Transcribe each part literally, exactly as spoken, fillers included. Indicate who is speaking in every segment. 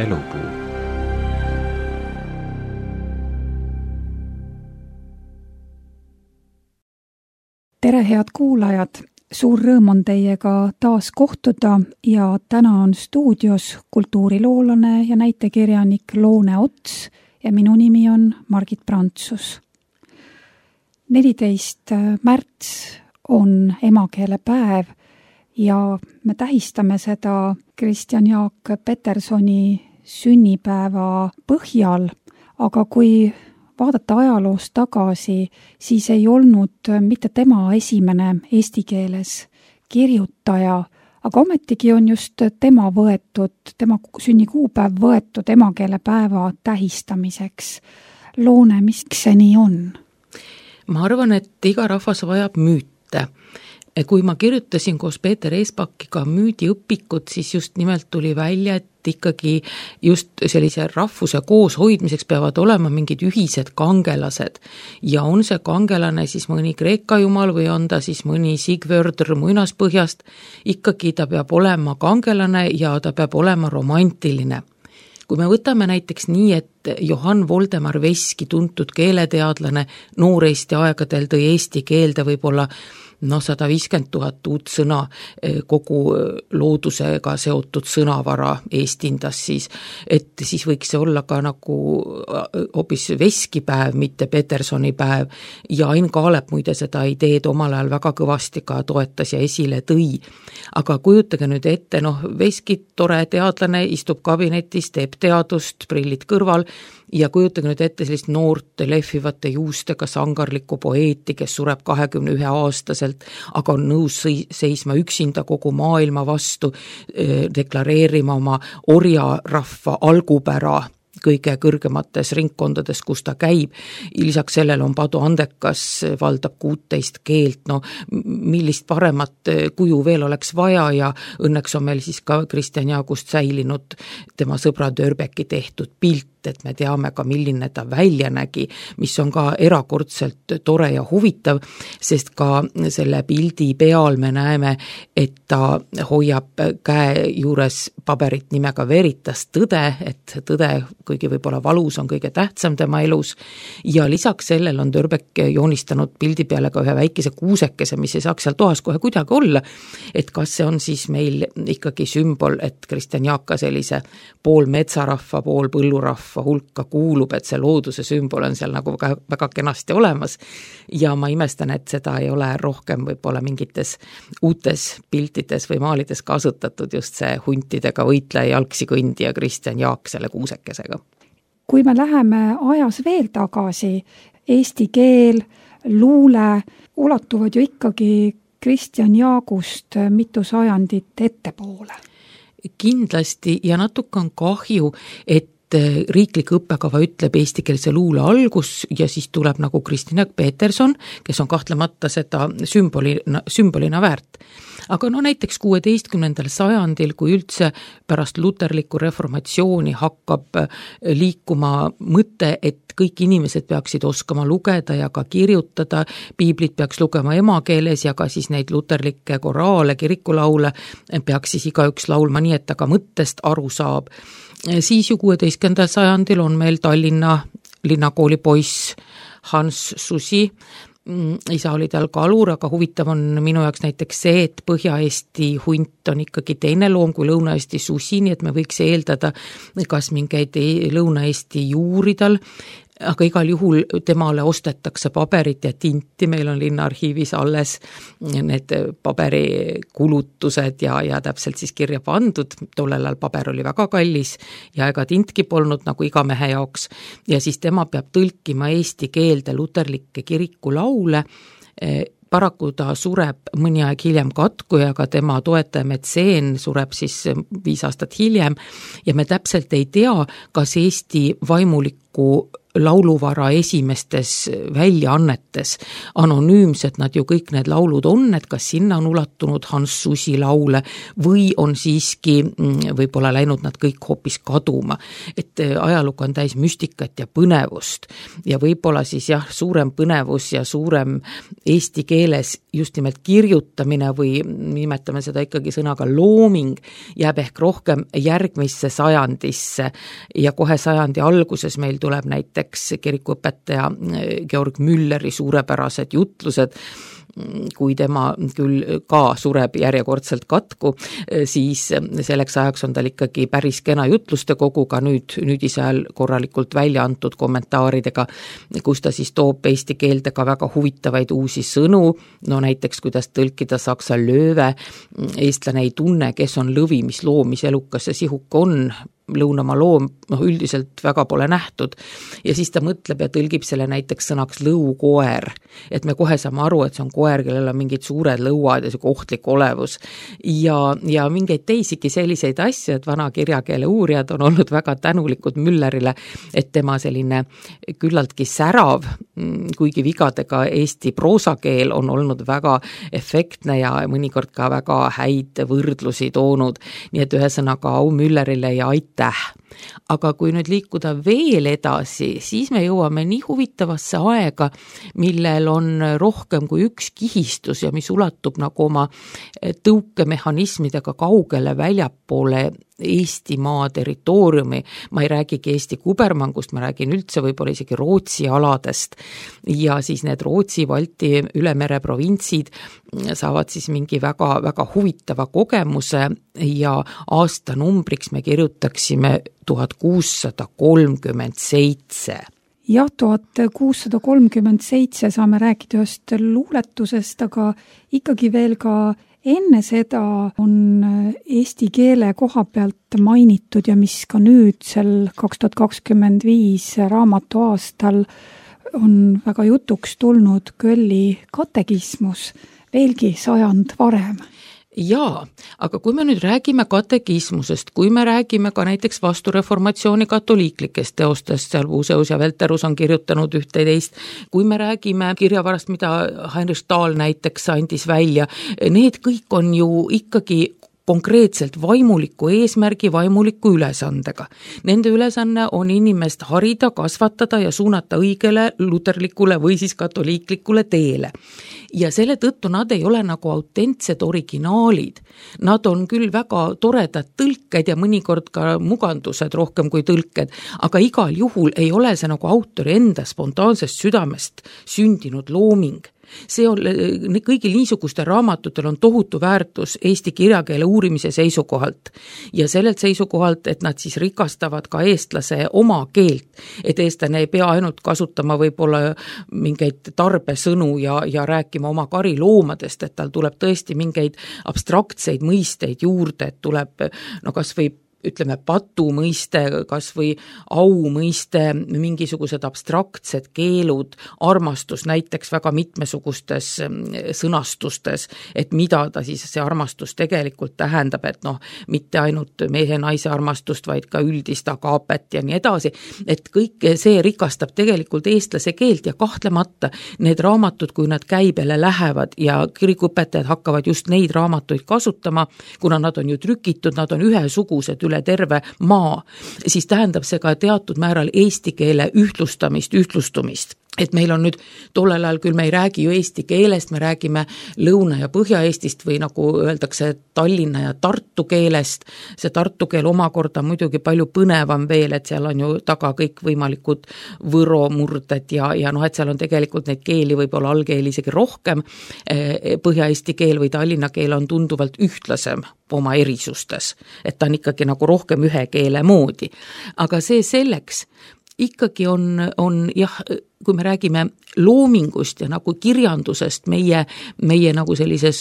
Speaker 1: Elupuu.
Speaker 2: Tere, head kuulajad! Suur rõõm on teiega taas kohtuda ja täna on stuudios kultuuriloolane ja näitekirjanik Loone Ots ja minu nimi on Margit Prantsus. neliteist märts on emakeelepäev ja me tähistame seda Kristjan Jaak Petersoni sünnipäeva põhjal, aga kui vaadata ajaloos tagasi, siis ei olnud mitte tema esimene eesti keeles kirjutaja, aga ometigi on just tema võetud, tema sünnikuupäev võetud emakeelepäeva tähistamiseks. Loone, miks see nii on?
Speaker 3: Ma arvan, et iga rahvas vajab müüte. Kui ma kirjutasin koos Peeter Eespakiga müüdiõpikut, siis just nimelt tuli välja, et ikkagi just sellise rahvuse koos hoidmiseks peavad olema mingid ühised kangelased. Ja on see kangelane siis mõni Kreeka jumal või on ta siis mõni Sigvördr muinaspõhjast, ikkagi ta peab olema kangelane ja ta peab olema romantiline. Kui me võtame näiteks nii, et Johann Voldemar Veski, tuntud keeleteadlane, nooreesti aegadel tõi eesti keelde võib-olla no sada viiskümmend tuhat uut sõna, kogu loodusega seotud sõnavara eestindas siis, et siis võiks see olla ka nagu hoopis veskipäev, mitte Petersoni päev ja Ain Kaalep muide seda ideed omal ajal väga kõvasti ka toetas ja esile tõi. Aga kujutage nüüd ette, noh, Veski tore teadlane istub kabinetis, teeb teadust, prillid kõrval ja kujutage nüüd ette sellist noort lehvivate juustega sangarlikku poeeti, kes sureb kahekümne ühe aastaselt, aga on nõus seisma üksinda kogu maailma vastu, deklareerima oma orjarahva algupära kõige kõrgemates ringkondades, kus ta käib. Lisaks sellele on Padu andekas, valdab kuuteist keelt, no millist paremat kuju veel oleks vaja ja õnneks on meil siis ka Kristjan Jaagust säilinud tema sõbra Dörbeki tehtud pilt, et me teame ka, milline ta välja nägi, mis on ka erakordselt tore ja huvitav, sest ka selle pildi peal me näeme, et ta hoiab käe juures paberit nimega Veritas tõde, et tõde, kuigi võib-olla valus on kõige tähtsam tema elus ja lisaks sellel on Dörbek joonistanud pildi peale ka ühe väikese kuusekese, mis ei saaks seal toas kohe kuidagi olla, et kas see on siis meil ikkagi sümbol, et Kristjan Jaaka sellise pool metsarahva, pool põllurahva hulka kuulub, et see looduse sümbol on seal nagu väga, väga kenasti olemas ja ma imestan, et seda ei ole rohkem võib-olla mingites uutes piltides või maalides kasutatud just see huntidega võitleja jalgsi kõndija Kristjan Jaak selle kuusekesega.
Speaker 2: Kui me läheme ajas veel tagasi, eesti keel, luule ulatuvad ju ikkagi Kristjan Jaagust mitu sajandit ettepoole.
Speaker 3: Kindlasti ja natuke on kahju, et riiklik õppekava ütleb eestikeelse luule algus ja siis tuleb nagu Kristjan Jaak Peterson, kes on kahtlemata seda sümbolina, sümbolina väärt. Aga no näiteks kuueteistkümnendal sajandil, kui üldse pärast luterlikku reformatsiooni hakkab liikuma mõte, et kõik inimesed peaksid oskama lugeda ja ka kirjutada, piiblit peaks lugema emakeeles ja ka siis neid luterlikke koraale, kirikulaule peaks siis igaüks laulma nii, et ta ka mõttest aru saab. Siis ju kuueteistkümnendal sajandil on meil Tallinna linnakooli poiss Hans Susi, isa oli tal kalur, aga huvitav on minu jaoks näiteks see, et Põhja-Eesti hunt on ikkagi teine loom kui Lõuna-Eesti susi, nii et me võiks eeldada kas mingeid Lõuna-Eesti juuri tal, aga igal juhul temale ostetakse paberit ja tinti, meil on linnaarhiivis alles need paberikulutused ja, ja täpselt siis kirja pandud, tollel ajal paber oli väga kallis ja ega tintki polnud nagu iga mehe jaoks ja siis tema peab tõlkima eesti keelde luterlikke kirikulaule, paraku ta sureb mõni aeg hiljem katku ja ka tema toetaja Metseen sureb siis viis aastat hiljem ja me täpselt ei tea, kas Eesti vaimuliku lauluvara esimestes väljaannetes anonüümsed nad ju kõik need laulud on, et kas sinna on ulatunud Hans Susi laule või on siiski võib-olla läinud nad kõik hoopis kaduma. Et ajalugu on täis müstikat ja põnevust ja võib-olla siis jah, suurem põnevus ja suurem eesti keeles just nimelt kirjutamine või nimetame seda ikkagi sõnaga looming, jääb ehk rohkem järgmisse sajandisse ja kohe sajandi alguses meil tuleb näiteks kirikuõpetaja Georg Mülleri suurepärased jutlused, kui tema küll ka sureb järjekordselt katku, siis selleks ajaks on tal ikkagi päris kena jutluste koguga nüüd, nüüd ise ajal korralikult välja antud kommentaaridega, kus ta siis toob eesti keelde ka väga huvitavaid uusi sõnu, no näiteks kuidas tõlkida saksa lööve, eestlane ei tunne, kes on lõvi, mis loom, mis elukas see sihuk on, lõunamaa loom, noh üldiselt väga pole nähtud ja siis ta mõtleb ja tõlgib selle näiteks sõnaks lõukoer, et me kohe saame aru, et see on koer, kellel on mingid suured lõuad ja see ohtlik olevus ja, ja mingeid teisigi selliseid asju, et vana kirjakeele uurijad on olnud väga tänulikud Müllerile, et tema selline küllaltki särav, kuigi vigadega eesti proosakeel on olnud väga efektne ja mõnikord ka väga häid võrdlusi toonud, nii et ühesõnaga au Müllerile ja aitäh. Aga kui nüüd liikuda veel edasi, siis me jõuame nii huvitavasse aega, millel on rohkem kui üks kihistus ja mis ulatub nagu oma tõukemehhanismidega kaugele väljapoole Eestimaa territooriumi, ma ei räägigi Eesti kubermangust, ma räägin üldse võib-olla isegi Rootsi aladest ja siis need Rootsi, Balti, Ülemere provintsid saavad siis mingi väga, väga huvitava kogemuse ja aastanumbriks me kirjutaksime tuhat kuussada kolmkümmend seitse.
Speaker 2: Jah, tuhat kuussada kolmkümmend seitse saame rääkida ühest luuletusest, aga ikkagi veel ka enne seda on eesti keele koha pealt mainitud ja mis ka nüüd sel kaks tuhat kakskümmend viis raamatu aastal on väga jutuks tulnud Kölli katekismus, veelgi sajand varem.
Speaker 3: Jaa, aga kui me nüüd räägime katekismusest, kui me räägime ka näiteks vastureformatsiooni katoliiklikest teostest, seal Vuuseus ja Velterus on kirjutanud ühte teist, kui me räägime kirjavarast, mida Heinrich Stahl näiteks andis välja, need kõik on ju ikkagi konkreetselt vaimuliku eesmärgi, vaimuliku ülesandega. Nende ülesanne on inimest harida, kasvatada ja suunata õigele luterlikule või siis katoliiklikule teele. Ja selle tõttu nad ei ole nagu autentsed originaalid. Nad on küll väga toredad tõlked ja mõnikord ka mugandused rohkem kui tõlked, aga igal juhul ei ole see nagu autori enda spontaansest südamest sündinud looming. See on, kõigil niisugustel raamatutel on tohutu väärtus eesti kirjakeele uurimise seisukohalt ja sellelt seisukohalt, et nad siis rikastavad ka eestlase oma keelt, et eestlane ei pea ainult kasutama võib-olla mingeid tarbesõnu ja, ja rääkima oma kariloomadest, et tal tuleb tõesti mingeid abstraktseid mõisteid juurde, et tuleb no kas või ütleme patu mõiste, kas või au mõiste, mingisugused abstraktsed keelud, armastus näiteks väga mitmesugustes sõnastustes, et mida ta siis see armastus tegelikult tähendab, et noh, mitte ainult mehe-naise armastust, vaid ka üldist agaapet ja nii edasi, et kõik see rikastab tegelikult eestlase keelt ja kahtlemata need raamatud, kui nad käibele lähevad ja kirikuõpetajad hakkavad just neid raamatuid kasutama, kuna nad on ju trükitud, nad on ühesugused üle terve maa, siis tähendab see ka teatud määral eesti keele ühtlustamist, ühtlustumist. Et meil on nüüd tollel ajal küll me ei räägi ju eesti keelest, me räägime Lõuna- ja Põhja-Eestist või nagu öeldakse Tallinna ja Tartu keelest. See Tartu keel omakorda muidugi palju põnevam veel, et seal on ju taga kõik võimalikud võro murded ja, ja noh, et seal on tegelikult neid keeli võib-olla allkeeli isegi rohkem. Põhja-Eesti keel või Tallinna keel on tunduvalt ühtlasem oma erisustes, et ta on ikkagi nagu rohkem ühe keele moodi. Aga see selleks ikkagi on, on jah, kui me räägime loomingust ja nagu kirjandusest meie, meie nagu sellises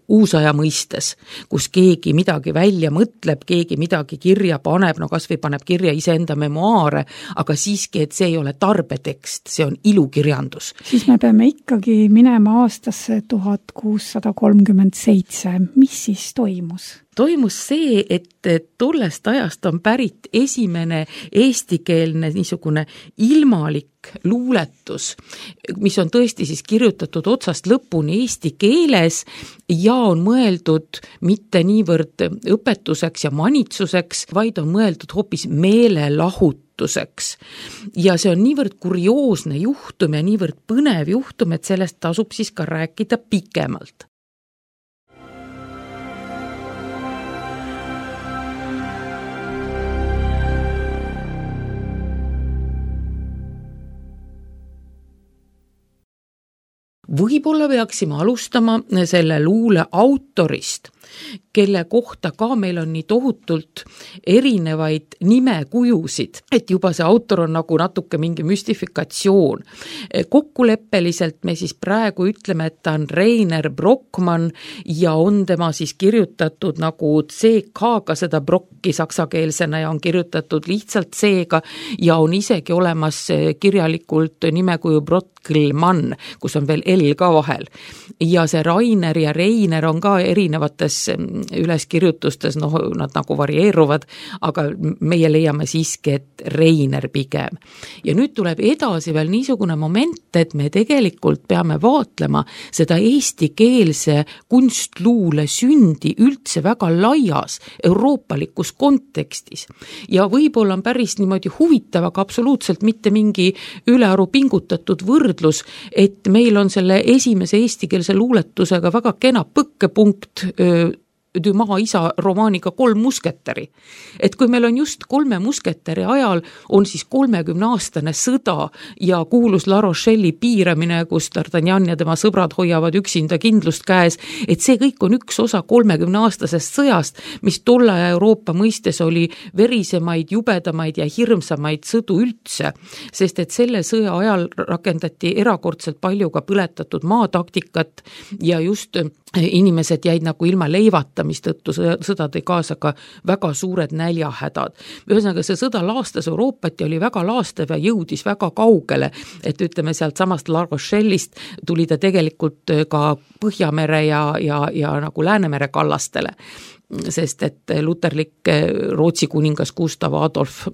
Speaker 3: uusaja mõistes, kus keegi midagi välja mõtleb, keegi midagi kirja paneb, no kas või paneb kirja iseenda memoaare, aga siiski, et see ei ole tarbetekst, see on ilukirjandus.
Speaker 2: Siis me peame ikkagi minema aastasse tuhat kuussada kolmkümmend seitse. Mis siis toimus?
Speaker 3: Toimus see, et tollest ajast on pärit esimene eestikeelne niisugune ilmalik luuletus, mis on tõesti siis kirjutatud otsast lõpuni eesti keeles ja on mõeldud mitte niivõrd õpetuseks ja manitsuseks, vaid on mõeldud hoopis meelelahutuseks. Ja see on niivõrd kurioosne juhtum ja niivõrd põnev juhtum, et sellest tasub siis ka rääkida pikemalt. Võib-olla peaksime alustama selle luule autorist, kelle kohta ka meil on nii tohutult erinevaid nimekujusid, et juba see autor on nagu natuke mingi müstifikatsioon. Kokkuleppeliselt me siis praegu ütleme, et ta on Reiner Brockmann ja on tema siis kirjutatud nagu C K-ga seda Brocki saksakeelsena ja on kirjutatud lihtsalt C-ga ja on isegi olemas kirjalikult nimekuju Brockelmann, kus on veel L ka vahel. Ja see Rainer ja Reiner on ka erinevates üleskirjutustes, noh, nad nagu varieeruvad, aga meie leiame siiski, et Reiner pigem. Ja nüüd tuleb edasi veel niisugune moment, et me tegelikult peame vaatlema seda eestikeelse kunstluule sündi üldse väga laias euroopalikus kontekstis. Ja võib-olla on päris niimoodi huvitav, aga absoluutselt mitte mingi ülearu pingutatud võrdlus, et meil on selle esimese eestikeelse luuletusega väga kena põkkepunkt öö, Dumas isa romaaniga Kolm musketäri. Et kui meil on just kolme musketäri ajal on siis kolmekümne aastane sõda ja kuulus La Rochelle'i piiramine, kus D'Artagnan ja tema sõbrad hoiavad üksinda kindlust käes, et see kõik on üks osa kolmekümne aastasest sõjast, mis tolle Euroopa mõistes oli verisemaid, jubedamaid ja hirmsamaid sõdu üldse, sest et selle sõja ajal rakendati erakordselt palju ka põletatud maataktikat ja just inimesed jäid nagu ilma leivata, mistõttu sõda tõi kaasa ka väga suured näljahädad. Ühesõnaga see sõda laastas Euroopat ja oli väga laastav ja jõudis väga kaugele, et ütleme sealt samast La Rochelle'ist tuli ta tegelikult ka Põhjamere ja, ja, ja nagu Läänemere kallastele. Sest et luterlik Rootsi kuningas Gustav Adolf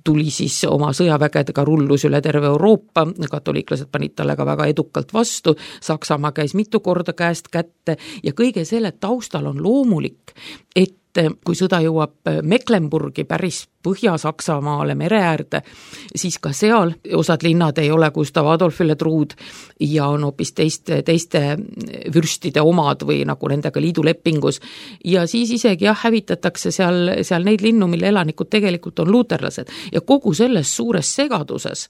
Speaker 3: tuli siis oma sõjavägedega rullus üle terve Euroopa, katoliiklased panid talle ka väga edukalt vastu, Saksamaa käis mitu korda käest kätte ja kõige selle taustal on loomulik, et kui sõda jõuab Mecklenburgi päris Põhja-Saksamaale mere äärde, siis ka seal osad linnad ei ole Gustav Adolfile truud ja on hoopis teiste, teiste vürstide omad või nagu nendega liidulepingus. Ja siis isegi jah, hävitatakse seal, seal neid linnu, mille elanikud tegelikult on luuterlased. Ja kogu selles suures segaduses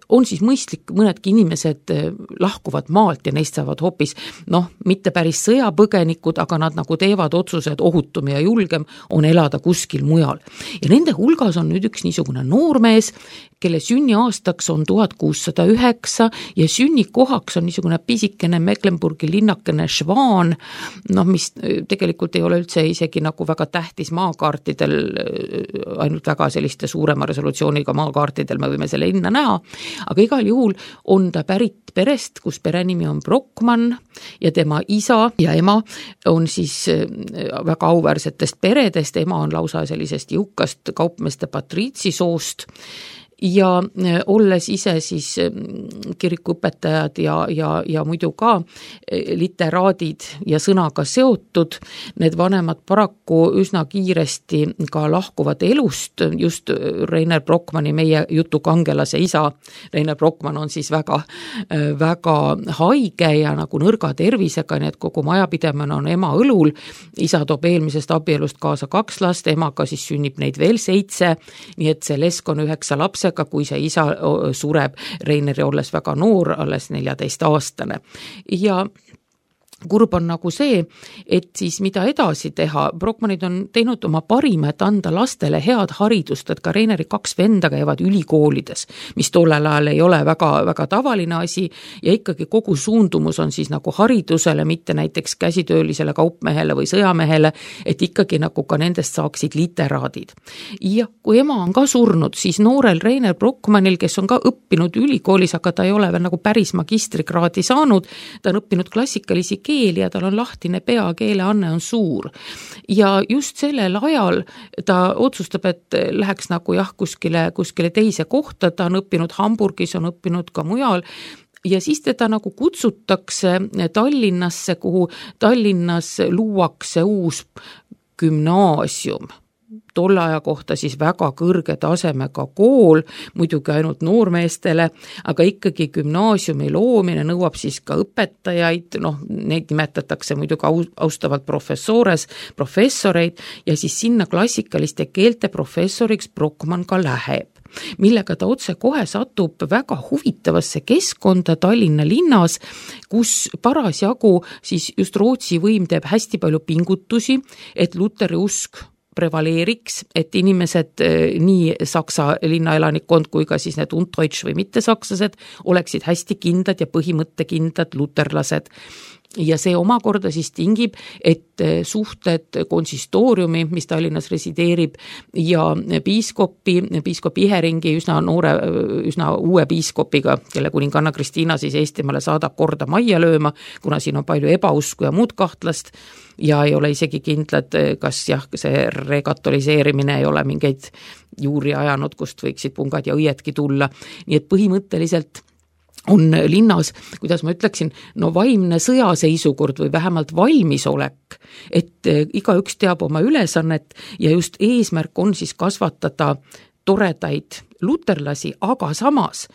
Speaker 3: on siis mõistlik, mõnedki inimesed lahkuvad maalt ja neist saavad hoopis, noh, mitte päris sõjapõgenikud, aga nad nagu teevad otsused ohutum ja julgem on elada kuskil mujal. Ja nende hulgas on nüüd üks niisugune noormees, kelle sünniaastaks on tuhat kuussada üheksa ja sünnikohaks on niisugune pisikene Mecklenburgi linnakene Schwan, noh, mis tegelikult ei ole üldse isegi nagu väga tähtis maakaartidel, ainult väga selliste suurema resolutsiooniga maakaartidel me võime selle linna näha, aga igal juhul on ta pärit perest, kus perenimi on Brockmann ja tema isa ja ema on siis väga auväärsetest peredest, ema on lausa sellisest jõukast kaupmeeste patriitsisoost ja olles ise siis kirikuõpetajad ja, ja, ja muidu ka literaadid ja sõnaga seotud, need vanemad paraku üsna kiiresti ka lahkuvad elust, just Reiner Brockmanni, meie jutu kangelase isa. Reiner Brockmann on siis väga, väga haige ja nagu nõrga tervisega, nii et kogu majapidemine on ema õlul. Isa toob eelmisest abielust kaasa kaks last, emaga siis sünnib neid veel seitse, nii et see lesk on üheksa lapse, kui see isa sureb Reineri olles väga noor, alles neljateist aastane. Ja kurb on nagu see, et siis mida edasi teha, Brockmannid on teinud oma parima, et anda lastele head haridust, et ka Reineri kaks venda käivad ülikoolides, mis tollel ajal ei ole väga, väga tavaline asi ja ikkagi kogu suundumus on siis nagu haridusele, mitte näiteks käsitöölisele kaupmehele või sõjamehele, et ikkagi nagu ka nendest saaksid literaadid. Ja kui ema on ka surnud, siis noorel Reiner Brockmannil, kes on ka õppinud ülikoolis, aga ta ei ole veel nagu päris magistrikraadi saanud, ta on õppinud klassikalisi keel ja tal on lahtine pea, keeleanne on suur. Ja just sellel ajal ta otsustab, et läheks nagu jah, kuskile, kuskile teise kohta, ta on õppinud Hamburgis, on õppinud ka mujal, ja siis teda nagu kutsutakse Tallinnasse, kuhu Tallinnas luuakse uus gümnaasium. Tolle aja kohta siis väga kõrge tasemega kool, muidugi ainult noormeestele, aga ikkagi gümnaasiumi loomine nõuab siis ka õpetajaid, noh, neid nimetatakse muidugi austavalt professores, professoreid ja siis sinna klassikaliste keelte professoriks Brockmann ka läheb, millega ta otse kohe satub väga huvitavasse keskkonda Tallinna linnas, kus parasjagu siis just Rootsi võim teeb hästi palju pingutusi, et Luteri usk prevaleeriks, et inimesed, nii Saksa linnaelanikkond kui ka siis need Undeutsch või mittesakslased oleksid hästi kindlad ja põhimõttekindlad luterlased. Ja see omakorda siis tingib, et suhted konsistooriumi, mis Tallinnas resideerib, ja piiskopi, piiskop Iheringi üsna noore, üsna uue piiskopiga, kelle kuninganna Kristiina siis Eestimaale saadab korda majja lööma, kuna siin on palju ebausku ja muud kahtlast, ja ei ole isegi kindlad, kas jah, see rekatoliseerimine ei ole mingeid juuri ajanud, kust võiksid pungad ja õiedki tulla. Nii et põhimõtteliselt on linnas, kuidas ma ütleksin, no vaimne sõjaseisukord või vähemalt valmisolek, et igaüks teab oma ülesannet ja just eesmärk on siis kasvatada toredaid luterlasi, aga samas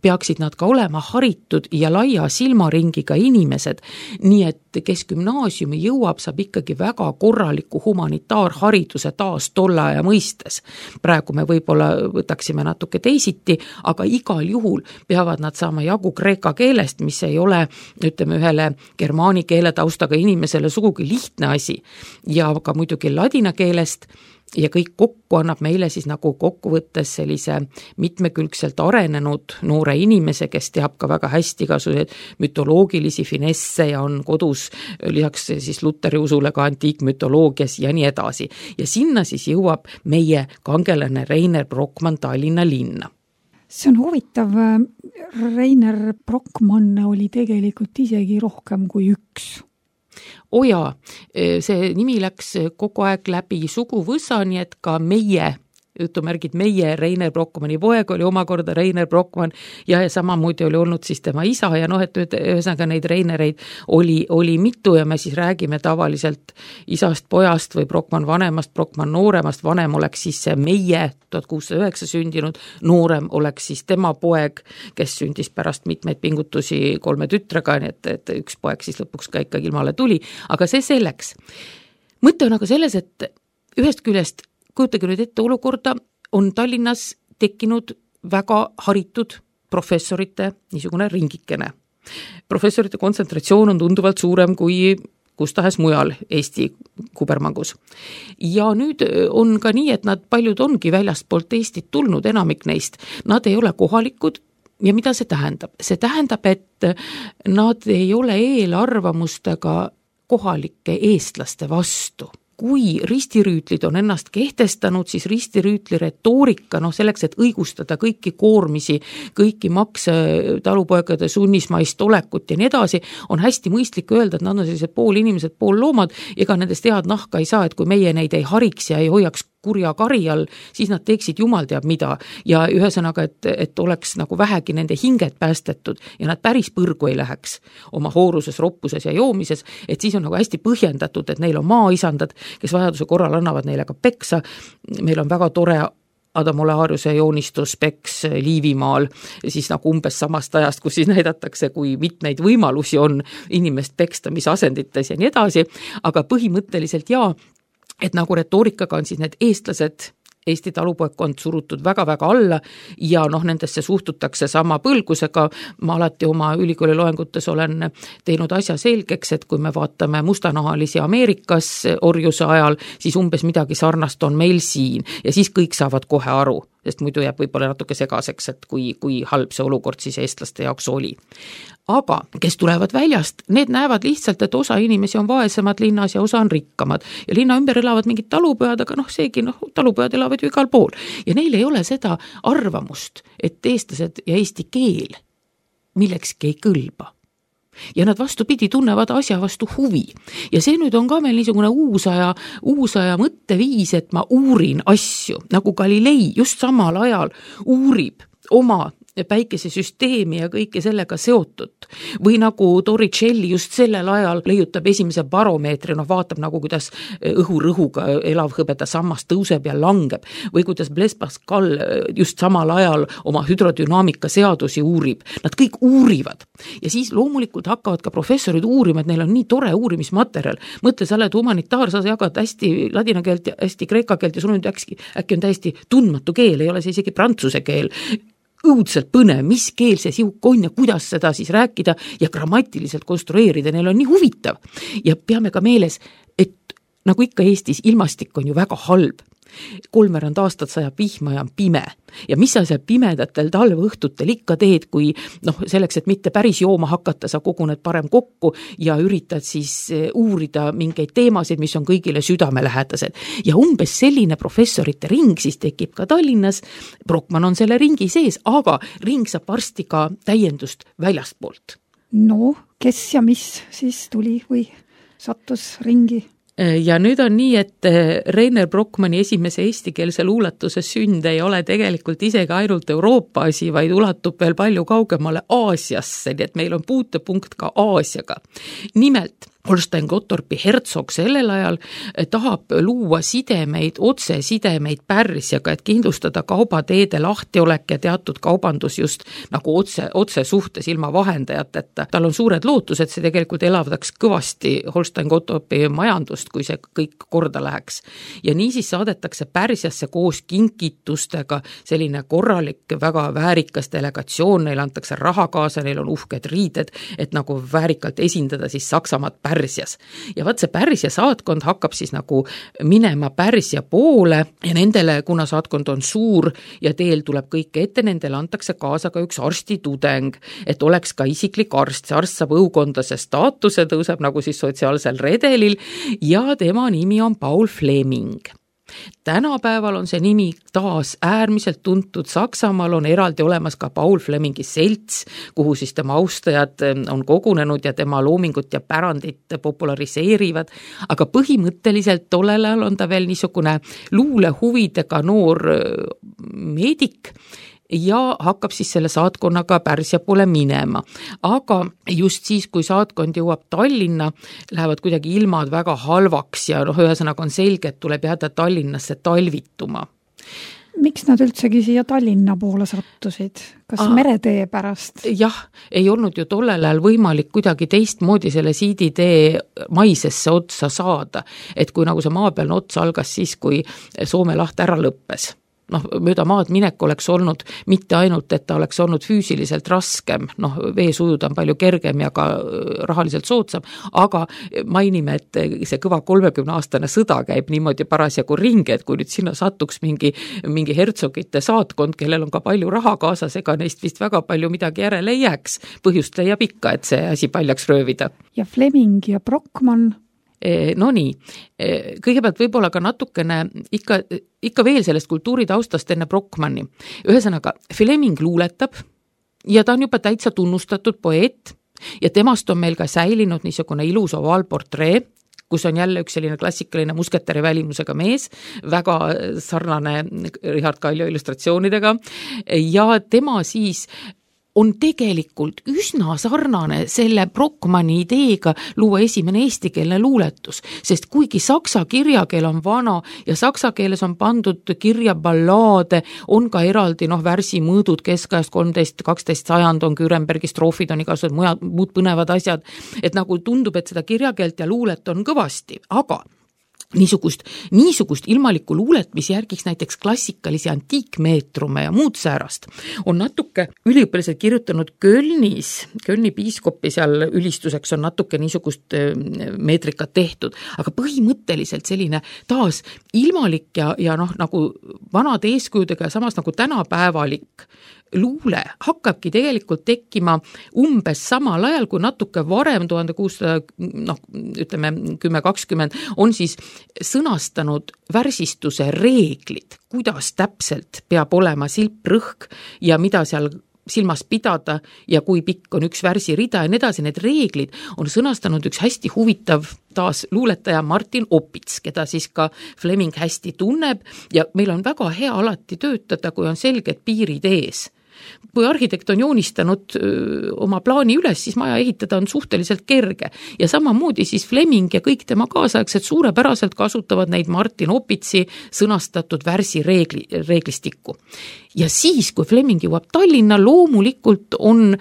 Speaker 3: peaksid nad ka olema haritud ja laia silmaringiga inimesed, nii et kes gümnaasiumi jõuab, saab ikkagi väga korraliku humanitaarhariduse taas tolle aja mõistes. Praegu me võib-olla võtaksime natuke teisiti, aga igal juhul peavad nad saama jagu kreeka keelest, mis ei ole, ütleme, ühele germaani keele taustaga inimesele sugugi lihtne asi, ja ka muidugi ladina keelest, ja kõik kokku annab meile siis nagu kokkuvõttes sellise mitmekülgselt arenenud noore inimese, kes teab ka väga hästi igasuguseid mütoloogilisi finesse ja on kodus lisaks siis Luteri usule ka antiikmütoloogias ja nii edasi. Ja sinna siis jõuab meie kangelane Reiner Brockmann Tallinna linna.
Speaker 2: See on huvitav, Reiner Brockmann oli tegelikult isegi rohkem kui üks.
Speaker 3: Oja, see nimi läks kogu aeg läbi suguvõsa, nii et ka meie, jutumärgid meie, Reiner Brockmanni poeg oli omakorda Reiner Brockmann ja, ja samamoodi oli olnud siis tema isa ja noh, et ühesõnaga neid Reinereid oli, oli mitu ja me siis räägime tavaliselt isast, pojast või Brockmann vanemast, Brockmann nooremast, vanem oleks siis see meie tuhat kuussada üheksa sündinud, noorem oleks siis tema poeg, kes sündis pärast mitmeid pingutusi kolme tütrega, nii et, et üks poeg siis lõpuks ka ikkagi ilmale tuli, aga see selleks. Mõte on aga selles, et ühest küljest kujutage nüüd ette olukorda, on Tallinnas tekkinud väga haritud professorite niisugune ringikene. Professorite kontsentratsioon on tunduvalt suurem kui kus tahes mujal Eesti kubermangus. Ja nüüd on ka nii, et nad paljud ongi väljastpoolt Eestit tulnud, enamik neist. Nad ei ole kohalikud ja mida see tähendab? See tähendab, et nad ei ole eelarvamustega kohalike eestlaste vastu. Kui ristirüütlid on ennast kehtestanud, siis ristirüütli retoorika, noh selleks, et õigustada kõiki koormisi, kõiki makse, talupoegade sunnismaist olekut ja nii edasi, on hästi mõistlik öelda, et nad on sellised pool inimesed, pool loomad, ega nendest head nahka ei saa, et kui meie neid ei hariks ja ei hoiaks kurja kari all, siis nad teeksid jumal teab mida ja ühesõnaga, et, et oleks nagu vähegi nende hinged päästetud ja nad päris põrgu ei läheks oma hooruses, roppuses ja joomises, et siis on nagu hästi põhjendatud, et neil on maaisandad, kes vajaduse korral annavad neile ka peksa. Meil on väga tore Adam Oleariuse joonistus Peks Liivimaal, siis nagu umbes samast ajast, kus siis näidatakse, kui mitmeid võimalusi on inimest peksta, mis asendites ja nii edasi, aga põhimõtteliselt jaa, et nagu retoorikaga on siis need eestlased, Eesti talupoegkond surutud väga-väga alla ja noh, nendesse suhtutakse sama põlgusega. Ma alati oma ülikooli loengutes olen teinud asja selgeks, et kui me vaatame mustanahalisi Ameerikas orjuse ajal, siis umbes midagi sarnast on meil siin ja siis kõik saavad kohe aru, sest muidu jääb võib-olla natuke segaseks, et kui, kui halb see olukord siis eestlaste jaoks oli. Aga kes tulevad väljast, need näevad lihtsalt, et osa inimesi on vaesemad linnas ja osa on rikkamad. Ja linna ümber elavad mingid talupojad, aga noh, seegi noh, talupojad elavad ju igal pool. Ja neil ei ole seda arvamust, et eestlased ja eesti keel millekski ei kõlba. ja nad vastupidi tunnevad asja vastu huvi. Ja see nüüd on ka meil niisugune uusaja, uusaja mõtteviis, et ma uurin asju, nagu Galilei just samal ajal uurib oma päikesesüsteemi ja kõike sellega seotud. Või nagu Torricelli just sellel ajal leiutab esimese baromeetri, noh vaatab nagu kuidas õhurõhuga elavhõbeda sammas tõuseb ja langeb. Või kuidas Blaise Pascal just samal ajal oma hüdrodünaamika seadusi uurib. Nad kõik uurivad. Ja siis loomulikult hakkavad ka professorid uurima, et neil on nii tore uurimismaterjal. Mõtle, sa oled humanitaar, sa jagad hästi ladina keelt ja hästi kreeka keelt ja sul on äkki, äkki on täiesti tundmatu keel, ei ole see isegi prantsuse keel. Õudselt põnev, mis keel see siuk on ja kuidas seda siis rääkida ja grammatiliselt konstrueerida, neil on nii huvitav. Ja peame ka meeles, et nagu ikka Eestis, ilmastik on ju väga halb. Kolmveerand aastat sajab vihma ja on pime. Ja mis sa seal pimedatel talveõhtutel ikka teed, kui noh, selleks, et mitte päris jooma hakata, sa koguned parem kokku ja üritad siis uurida mingeid teemasid, mis on kõigile südamelähedased. Ja umbes selline professorite ring siis tekib ka Tallinnas. Brockmann on selle ringi sees, aga ring saab varsti ka täiendust väljastpoolt.
Speaker 2: No, kes ja mis siis tuli või sattus ringi?
Speaker 3: Ja nüüd on nii, et Reiner Brockmanni esimese eestikeelse luuletuse sünd ei ole tegelikult isegi ainult Euroopa asi, vaid ulatub veel palju kaugemale Aasiasse, nii et meil on puutepunkt ka Aasiaga. Nimelt Holstein-Gottorpi hertsog sellel ajal tahab luua sidemeid, otse sidemeid Pärsiaga, et kindlustada kaubateede lahtiolek ja teatud kaubandus just nagu otse, otse suhtes ilma vahendajateta. Tal on suured lootused, see tegelikult elavdaks kõvasti Holstein-Gottorpi majandust, kui see kõik korda läheks. Ja nii siis saadetakse Pärsiasse koos kinkitustega selline korralik, väga väärikas delegatsioon, neil antakse raha kaasa, neil on uhked riided, et nagu väärikalt esindada siis Saksamaad Pärsias. Ja vaat see Pärsia saatkond hakkab siis nagu minema Pärsia poole ja nendele, kuna saatkond on suur ja teel tuleb kõike ette, nendele antakse kaasa ka üks arstitudeng, et oleks ka isiklik arst. See arst saab õukondase staatuse, tõuseb nagu siis sotsiaalsel redelil ja tema nimi on Paul Fleming. Tänapäeval on see nimi taas äärmiselt tuntud. Saksamaal on eraldi olemas ka Paul Flemingi selts, kuhu siis tema austajad on kogunenud ja tema loomingut ja pärandit populariseerivad. Aga põhimõtteliselt tollel ajal on ta veel niisugune luulehuvidega noor meedik ja hakkab siis selle saatkonnaga Pärsia poole minema. Aga just siis, kui saatkond jõuab Tallinna, lähevad kuidagi ilmad väga halvaks ja noh, ühesõnaga on selge, et tuleb jääda Tallinnasse talvituma.
Speaker 2: Miks nad üldsegi siia Tallinna poole sattusid? Kas ah, meretee pärast?
Speaker 3: Jah, ei olnud ju tollel ajal võimalik kuidagi teistmoodi selle siiditee maisesse otsa saada. Et kui nagu see maapealne otsa algas siis, kui Soome laht ära lõppes. Noh, mööda maad minek oleks olnud mitte ainult, et ta oleks olnud füüsiliselt raskem, noh, veesujud on palju kergem ja ka rahaliselt soodsam, aga mainime, et see kõva kolmekümne aastane sõda käib niimoodi parasjagu ringi, et kui nüüd sinna satuks mingi, mingi hertsogite saatkond, kellel on ka palju raha kaasas, ega neist vist väga palju midagi järele ei jääks. Põhjust leiab ikka, et see asi paljaks röövida.
Speaker 2: Ja Fleming ja Brockmann?
Speaker 3: No nii, kõigepealt võib-olla ka natukene ikka, ikka veel sellest kultuuritaustast enne Brockmanni. Ühesõnaga, Fleming luuletab ja ta on juba täitsa tunnustatud poeet ja temast on meil ka säilinud niisugune ilus ovaalportree, kus on jälle üks selline klassikaline musketäri välimusega mees, väga sarnane Richard Kaljo illustratsioonidega ja tema siis on tegelikult üsna sarnane selle Brockmanni ideega luua esimene eestikeelne luuletus, sest kuigi saksa kirjakeel on vana ja saksa keeles on pandud kirja ballaade, on ka eraldi noh, värsimõõdud keskajast kolmteist kaksteist sajand on Kürenbergi stroofid, on igasugused mujad, muud põnevad asjad, et nagu tundub, et seda kirjakeelt ja luulet on kõvasti, aga niisugust, niisugust ilmalikku luulet, mis järgiks näiteks klassikalisi antiikmeetrume ja muud säärast, on natuke üliõpilased kirjutanud Kölnis, Kölni piiskopi seal ülistuseks on natuke niisugust meetrikat tehtud, aga põhimõtteliselt selline taas ilmalik ja, ja noh, nagu vanade eeskujudega ja samas nagu tänapäevalik luule hakkabki tegelikult tekkima umbes samal ajal, kui natuke varem tuhande kuussada, noh, ütleme kümme kakskümmend, on siis sõnastanud värsistuse reeglid, kuidas täpselt peab olema silprõhk ja mida seal silmas pidada ja kui pikk on üks värsirida ja nii edasi, need reeglid on sõnastanud üks hästi huvitav taas luuletaja Martin Opits, keda siis ka Fleming hästi tunneb ja meil on väga hea alati töötada, kui on selged piirid ees. Kui arhitekt on joonistanud öö, oma plaani üles, siis maja ehitada on suhteliselt kerge ja samamoodi siis Fleming ja kõik tema kaasaegsed suurepäraselt kasutavad neid Martin Opitsi sõnastatud värsi reegli, reeglistikku. Ja siis, kui Fleming jõuab Tallinna, loomulikult on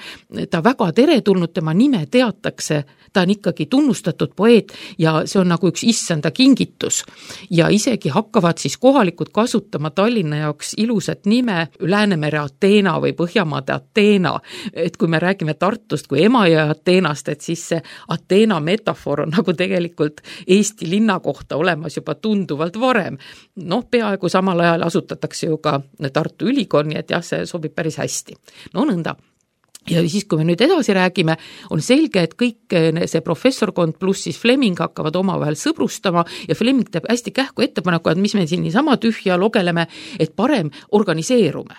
Speaker 3: ta väga teretulnud, tema nime teatakse, ta on ikkagi tunnustatud poeet ja see on nagu üks issanda kingitus. Ja isegi hakkavad siis kohalikud kasutama Tallinna jaoks ilusat nime Läänemere Ateena või Põhjamaade Ateena. Et kui me räägime Tartust kui Emajõe Ateenast, et siis see Ateena metafoor on nagu tegelikult Eesti linna kohta olemas juba tunduvalt varem. Noh, peaaegu samal ajal asutatakse ju ka Tartu Ülikool, nii et jah, see sobib päris hästi. No nõnda. Ja siis, kui me nüüd edasi räägime, on selge, et kõik see professorkond pluss siis Fleming hakkavad omavahel sõbrustama ja Fleming teeb hästi kähku ettepaneku, et mis me siin niisama tühja logeleme, et parem organiseerume.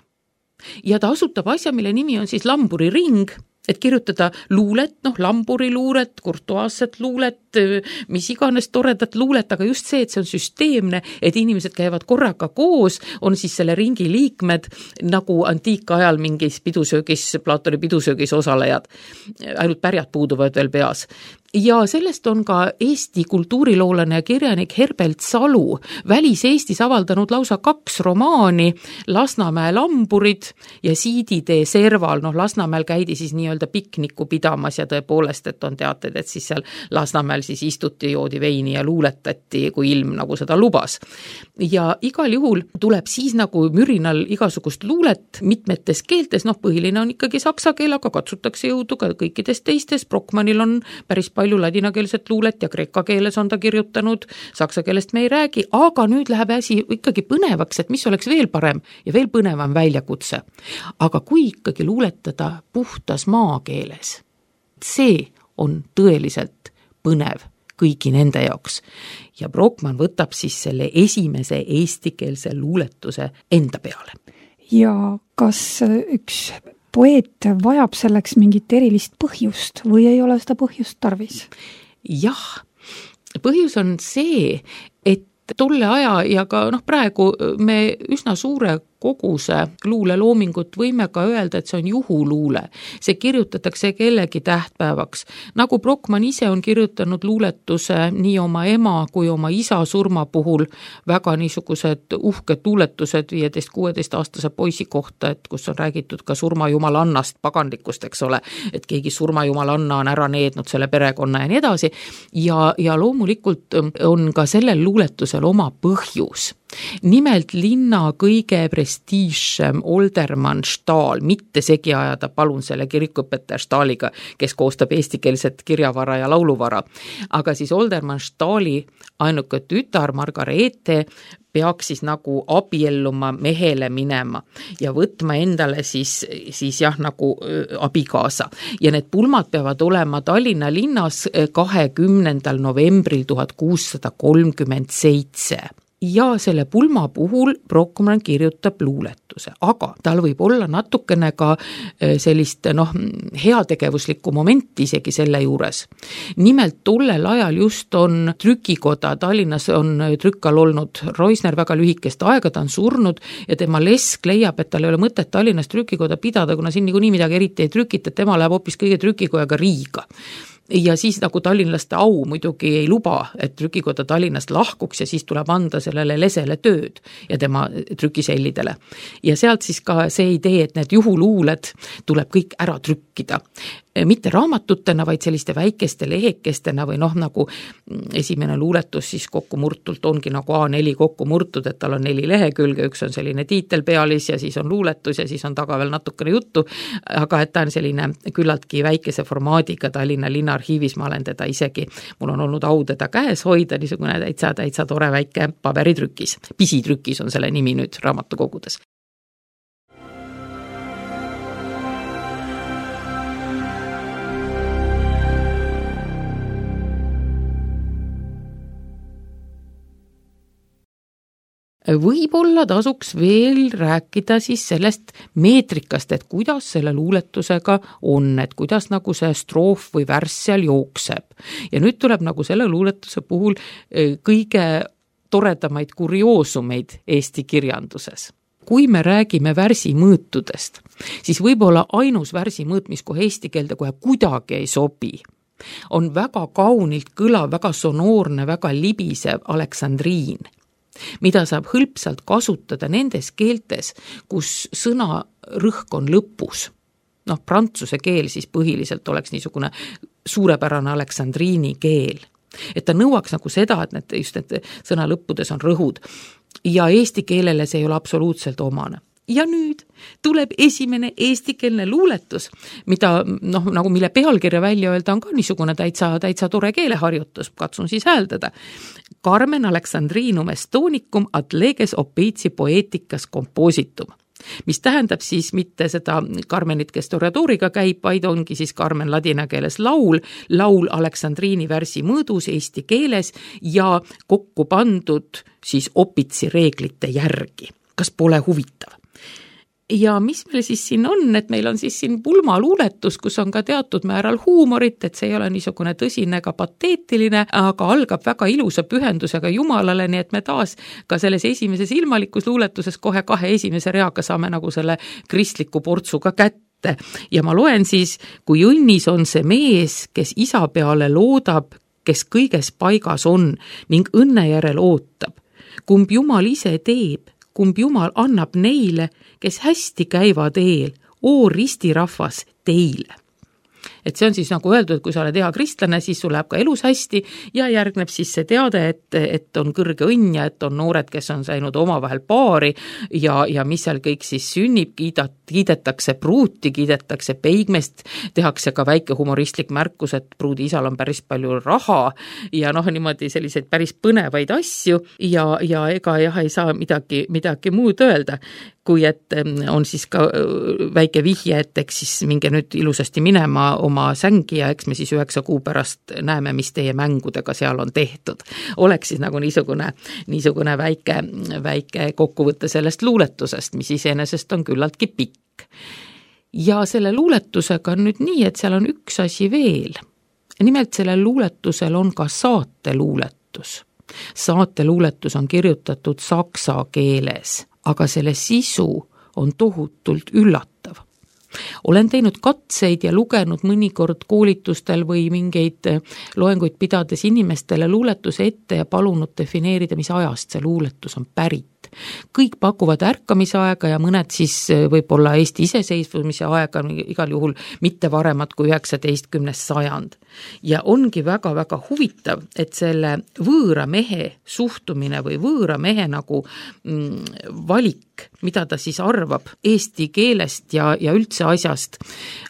Speaker 3: Ja ta asutab asja, mille nimi on siis Lamburi ring, et kirjutada luulet, noh, Lamburi luulet, kurtuaasset luulet, mis iganes toredat luulet, aga just see, et see on süsteemne, et inimesed käivad korraga koos, on siis selle ringi liikmed nagu antiikajal mingis pidusöögis, Platoni pidusöögis osalejad. Ainult pärjad puuduvad veel peas. Ja sellest on ka Eesti kultuuriloolane ja kirjanik Herbert Salu välis-Eestis avaldanud lausa kaks romaani, Lasnamäe lamburid ja Siiditee serval. Noh, Lasnamäel käidi siis nii-öelda pikniku pidamas ja tõepoolest, et on teated, et siis seal Lasnamäel siis istuti, joodi veini ja luuletati, kui ilm nagu seda lubas. Ja igal juhul tuleb siis nagu mürinal igasugust luulet mitmetes keeltes, noh, põhiline on ikkagi saksa keel, aga katsutakse jõudu ka kõikides teistes. Brockmanil on päris palju ladinakeelset luulet ja kreeka keeles on ta kirjutanud, saksa keelest me ei räägi, aga nüüd läheb asi ikkagi põnevaks, et mis oleks veel parem ja veel põnevam väljakutse. Aga kui ikkagi luuletada puhtas maakeeles, see on tõeliselt põnev kõigi nende jaoks. Ja Brockmann võtab siis selle esimese eestikeelse luuletuse enda peale.
Speaker 2: Ja kas üks poeet vajab selleks mingit erilist põhjust või ei ole seda põhjust tarvis?
Speaker 3: Jah, põhjus on see, et tolle aja ja ka noh, praegu me üsna suure koguse luuleloomingut võime ka öelda, et see on juhuluule. See kirjutatakse kellegi tähtpäevaks. Nagu Brockmann ise on kirjutanud luuletuse nii oma ema kui oma isa surma puhul, väga niisugused uhked luuletused viieteist kuueteist aastase poisi kohta, et kus on räägitud ka surmajumaalannast, paganlikust, eks ole, et keegi surmajumalanna on ära neednud selle perekonna ja nii edasi. Ja, ja loomulikult on ka sellel luuletusel oma põhjus. Nimelt linna kõige prestiižsem Oldermann Stahl, mitte segi ajada palun selle kirikuõpetaja Stahliga, kes koostab eestikeelset kirjavara ja lauluvara. Aga siis Oldermann Stahli ainuke tütar Margareete peaks siis nagu abielluma mehele minema ja võtma endale siis, siis jah, nagu abikaasa. Ja need pulmad peavad olema Tallinna linnas kahekümnendal novembril tuhat kuussada kolmkümmend seitse. Ja selle pulma puhul Brockmann kirjutab luuletuse, aga tal võib olla natukene ka sellist noh, heategevuslikku momenti isegi selle juures. Nimelt tollel ajal just on trükikoda, Tallinnas on trükkal olnud Roisner väga lühikest aega, ta on surnud ja tema lesk leiab, et tal ei ole mõtet Tallinnas trükikoda pidada, kuna siin niikuinii midagi eriti ei trükita, et tema läheb hoopis kõige trükikojaga Riiga. Ja siis nagu tallinlaste au muidugi ei luba, et trükikoda Tallinnast lahkuks ja siis tuleb anda sellele lesele tööd ja tema trükisellidele. Ja sealt siis ka see idee, et need juhuluuled tuleb kõik ära trükkida. Mitte raamatutena, vaid selliste väikeste lehekestena või noh, nagu esimene luuletus siis kokku murtult ongi nagu A neli kokku murtud, et tal on neli lehekülge, üks on selline tiitelpealis ja siis on luuletus ja siis on taga veel natukene juttu, aga et ta on selline küllaltki väikese formaadiga Tallinna linnaarhiivis, ma olen teda isegi, mul on olnud au teda käes hoida, niisugune täitsa, täitsa tore väike paberitrükis. Pisitrükis on selle nimi nüüd raamatukogudes. Võib-olla tasuks veel rääkida siis sellest meetrikast, et kuidas selle luuletusega on, et kuidas nagu see stroof või värss seal jookseb. Ja nüüd tuleb nagu selle luuletuse puhul kõige toredamaid kurioosumeid Eesti kirjanduses. Kui me räägime värsi mõõtudest, siis võib-olla ainus värsi mõõt, mis kohe eesti keelde kohe kuidagi ei sobi, on väga kaunilt kõlav, väga sonoorne, väga libisev aleksandriin, mida saab hõlpsalt kasutada nendes keeltes, kus sõna rõhk on lõpus. Noh, prantsuse keel siis põhiliselt oleks niisugune suurepärane aleksandriini keel. Et ta nõuaks nagu seda, et need, just need sõna lõppudes on rõhud. Ja eesti keelele see ei ole absoluutselt omane. Ja nüüd tuleb esimene eestikeelne luuletus, mida, noh, nagu mille pealkirja välja öelda on ka niisugune täitsa, täitsa tore keeleharjutus, katsun siis hääldada. Carmen Alexandrinum Estonicum ad leges opeitsi poeticas compositum, mis tähendab siis mitte seda Carmenit, kes Toreadoriga käib, vaid ongi siis Carmen ladina keeles laul, laul Aleksandriini värsi mõõdus eesti keeles ja kokku pandud siis opitsi reeglite järgi. Kas pole huvitav? Ja mis meil siis siin on, et meil on siis siin pulmaluuletus, kus on ka teatud määral huumorit, et see ei ole niisugune tõsine ega pateetiline, aga algab väga ilusa pühendusega Jumalale, nii et me taas ka selles esimeses ilmalikus luuletuses kohe kahe esimese reaga saame nagu selle kristliku portsuga kätte. Ja ma loen siis, kui õnnis on see mees, kes isa peale loodab, kes kõiges paigas on ning õnne järel ootab. Kumb Jumal ise teeb, kumb Jumal annab neile, kes hästi käivad eel, oo ristirahvas teile. Et see on siis nagu öeldud, et kui sa oled hea kristlane, siis sul läheb ka elus hästi ja järgneb siis see teade, et, et on kõrge õnn ja et on noored, kes on saanud omavahel paari ja, ja mis seal kõik siis sünnib, kiidat, kiidetakse pruuti, kiidetakse peigmest, tehakse ka väike humoristlik märkus, et pruudi isal on päris palju raha ja noh, niimoodi selliseid päris põnevaid asju ja, ja ega jah, ei saa midagi, midagi muud öelda, kui et on siis ka väike vihje, et eks siis minge nüüd ilusasti minema oma sängi ja eks me siis üheksa kuu pärast näeme, mis teie mängudega seal on tehtud. Oleks siis nagu niisugune, niisugune väike, väike kokkuvõte sellest luuletusest, mis iseenesest on küllaltki pikk. Ja selle luuletusega on nüüd nii, et seal on üks asi veel. Nimelt sellel luuletusel on ka saateluuletus. Saateluuletus on kirjutatud saksa keeles, aga selle sisu on tohutult üllatav. Olen teinud katseid ja lugenud mõnikord koolitustel või mingeid loenguid pidades inimestele luuletuse ette ja palunud defineerida, mis ajast see luuletus on pärit. Kõik pakuvad ärkamisaega ja mõned siis võib-olla Eesti iseseisvumise aega, igal juhul mitte varemat kui üheksateistkümnes sajand. Ja ongi väga-väga huvitav, et selle võõra mehe suhtumine või võõra mehe nagu mm, valik, mida ta siis arvab eesti keelest ja, ja üldse asjast,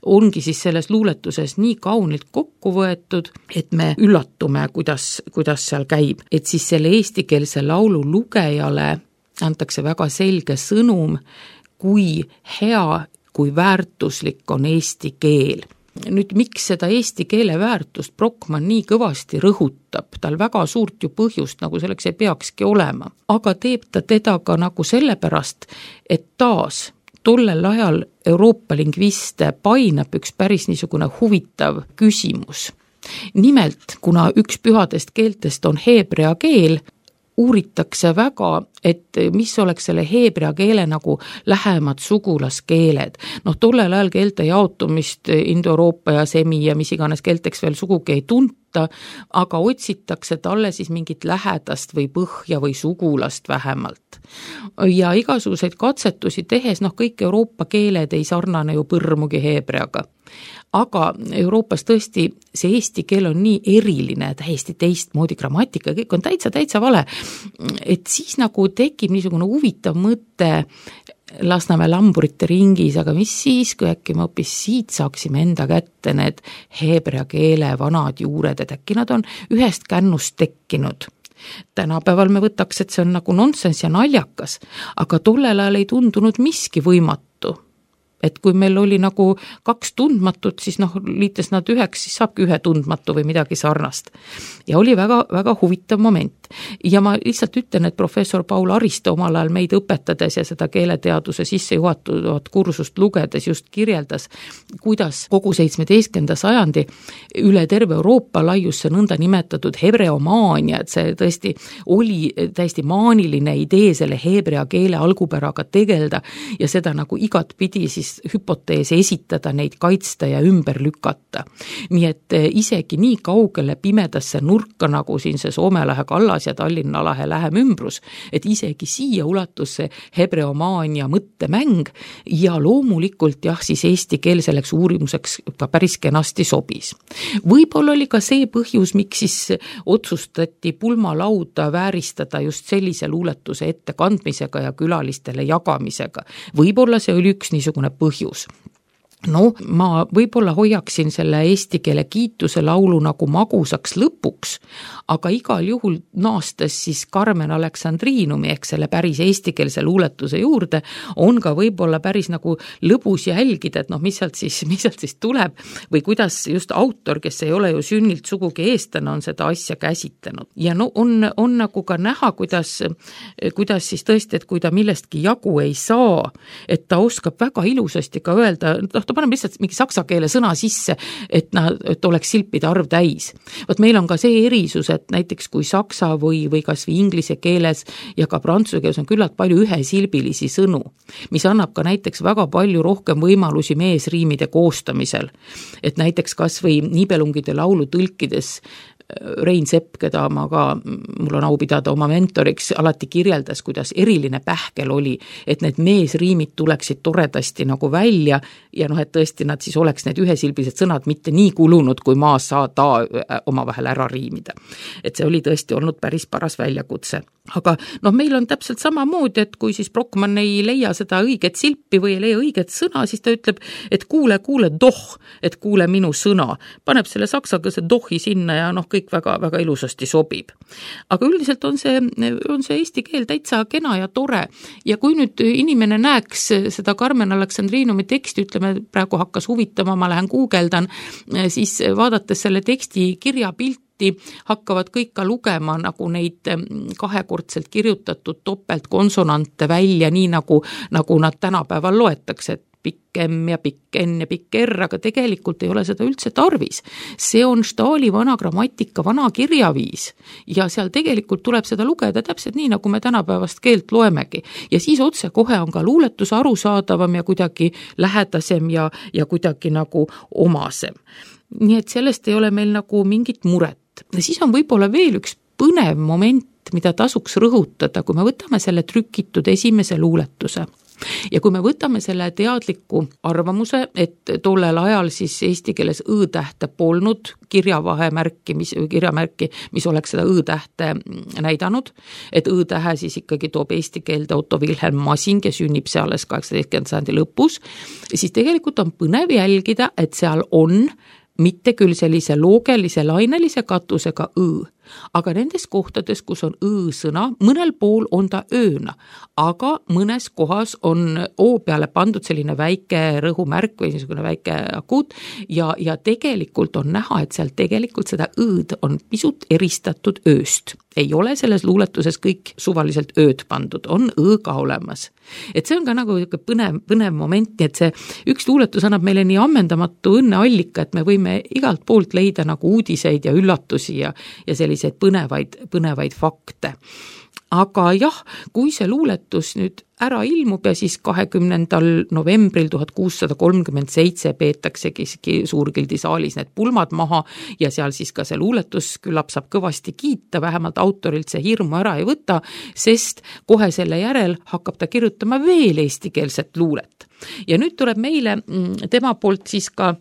Speaker 3: ongi siis selles luuletuses nii kaunilt kokku võetud, et me üllatume, kuidas, kuidas seal käib. Et siis selle eestikeelse laulu lugejale antakse väga selge sõnum, kui hea, kui väärtuslik on eesti keel. Nüüd, miks seda eesti keele väärtust Brockmann nii kõvasti rõhutab, tal väga suurt ju põhjust, nagu selleks ei peakski olema, aga teeb ta teda ka nagu sellepärast, et taas tollel ajal Euroopa lingviste painab üks päris niisugune huvitav küsimus. Nimelt, kuna üks pühadest keeltest on heebrea keel, uuritakse väga, et mis oleks selle heebrea keele nagu lähemad sugulaskeeled. Noh, tollel ajal keelte jaotumist Indo-Euroopa ja semi ja mis iganes keelteks veel sugugi ei tunta, aga otsitakse talle siis mingit lähedast või põhja või sugulast vähemalt. Ja igasuguseid katsetusi tehes, noh, kõik Euroopa keeled ei sarnane ju põrmugi heebreaga. Aga Euroopas tõesti see eesti keel on nii eriline, täiesti teistmoodi grammatika, kõik on täitsa, täitsa vale, et siis nagu tekib niisugune huvitav mõte Lasnamäe lamburite ringis, aga mis siis, kui äkki me hoopis siit saaksime enda kätte need heebrea keele vanad juured, et äkki nad on ühest kännust tekkinud. Tänapäeval me võtaks, et see on nagu nonsense ja naljakas, aga tollel ajal ei tundunud miski võimatu. et kui meil oli nagu kaks tundmatut, siis noh, liites nad üheks, siis saabki ühe tundmatu või midagi sarnast. Ja oli väga, väga huvitav moment. Ja ma lihtsalt ütlen, et professor Paul Ariste omal ajal meid õpetades ja seda keeleteaduse sisse juhatuvat kursust lugedes just kirjeldas, kuidas kogu seitsmeteistkümnenda sajandi üle terve Euroopa laius see nõnda nimetatud hebreomaania, et see tõesti oli täiesti maaniline idee selle heebrea keele algupäraga tegelda ja seda nagu igat pidi siis hüpoteese esitada, neid kaitsta ja ümber lükata. Nii et isegi nii kaugele pimedasse nurka, nagu siin see Soome lahe kallas ja Tallinna lahe lähem ümbrus, et isegi siia ulatus see hebreomaania mõttemäng ja loomulikult jah, siis eesti keel selleks uurimuseks ka päris kenasti sobis. Võib-olla oli ka see põhjus, miks siis otsustati pulmalauda vääristada just sellise luuletuse ettekandmisega ja külalistele jagamisega. Võib-olla see oli üks niisugune põhjus. No, ma võib-olla hoiaksin selle eesti keele kiituse laulu nagu magusaks lõpuks, aga igal juhul naastes siis Carmen Aleksandrinumi ehk selle päris eestikeelse luuletuse juurde on ka võib-olla päris nagu lõbus jälgida, et noh, mis sealt siis, mis sealt siis tuleb või kuidas just autor, kes ei ole ju sünnilt sugugi eestlane, on seda asja käsitlenud. Ja no on, on nagu ka näha, kuidas, kuidas siis tõesti, et kui ta millestki jagu ei saa, et ta oskab väga ilusasti ka öelda, noh, ta paneb lihtsalt mingi saksa keele sõna sisse, et, nad, et oleks silpide arv täis. Võt meil on ka see erisus, et näiteks kui saksa või, või kas või inglise keeles ja ka prantsuse keeles on küllalt palju ühesilbilisi sõnu, mis annab ka näiteks väga palju rohkem võimalusi meesriimide koostamisel. Et näiteks kas või Nibelungide laulu tõlkides Rein Sepp, keda ma ka, mul on au pidada oma mentoriks, alati kirjeldas, kuidas eriline pähkel oli, et need meesriimid tuleksid toredasti nagu välja ja noh, et tõesti nad siis oleks need ühesilbilised sõnad mitte nii kulunud, kui maa saa ta omavahel ära riimida. Et see oli tõesti olnud päris paras väljakutse. Aga noh, meil on täpselt samamoodi, et kui siis Brockmann ei leia seda õiget silpi või ei leia õiget sõna, siis ta ütleb, et kuule, kuule, doh, et kuule minu sõna. Paneb selle saksakese dohi sinna ja noh, kõik väga, väga ilusasti sobib. Aga üldiselt on see, on see eesti keel täitsa kena ja tore. Ja kui nüüd inimene näeks seda Carmen Aleksandrinumi teksti, ütleme, praegu hakkas huvitama, ma lähen guugeldan, siis vaadates selle teksti kirjapilt, hakkavad kõik ka lugema nagu neid kahekordselt kirjutatud topeltkonsonante välja, nii nagu, nagu nad tänapäeval loetakse, et pikkem ja pikken ja pikker, aga tegelikult ei ole seda üldse tarvis. See on Stahli vana grammatika, vana kirjaviis ja seal tegelikult tuleb seda lugeda täpselt nii, nagu me tänapäevast keelt loemegi. Ja siis otse kohe on ka luuletus arusaadavam ja kuidagi lähedasem ja, ja kuidagi nagu omasem. Nii et sellest ei ole meil nagu mingit muret. Ja siis on võib-olla veel üks põnev moment, mida tasuks rõhutada, kui me võtame selle trükitud esimese luuletuse. Ja kui me võtame selle teadliku arvamuse, et tollel ajal siis eesti keeles õ-tähte polnud kirjavahemärki, mis, kirjamärki, mis oleks seda õ-tähte näidanud, et õ-tähe siis ikkagi toob eesti keelde Otto Wilhelm Masing ja sünnib see alles kaheksateistkümnenda sajandi lõpus, siis tegelikult on põnev jälgida, et seal on mitte küll sellise loogelise lainelise katusega õ, aga nendes kohtades, kus on õ-sõna, mõnel pool on ta ööna, aga mõnes kohas on o peale pandud selline väike rõhumärk või niisugune väike akuut ja, ja tegelikult on näha, et seal tegelikult seda õd on pisut eristatud ööst. Ei ole selles luuletuses kõik suvaliselt ööd pandud, on õ ka olemas. Et see on ka nagu põnev, põnev moment, et see üks luuletus annab meile nii ammendamatu õnneallika, et me võime igalt poolt leida nagu uudiseid ja üllatusi ja, ja selliseid põnevaid, põnevaid fakte. Aga jah, kui see luuletus nüüd ära ilmub ja siis kahekümnendal novembril tuhat kuussada kolmkümmend seitse peetaksegi Suurgildi saalis need pulmad maha ja seal siis ka see luuletus küllap saab kõvasti kiita, vähemalt autorilt see hirmu ära ei võta, sest kohe selle järel hakkab ta kirjutama veel eestikeelset luulet. Ja nüüd tuleb meile tema poolt siis ka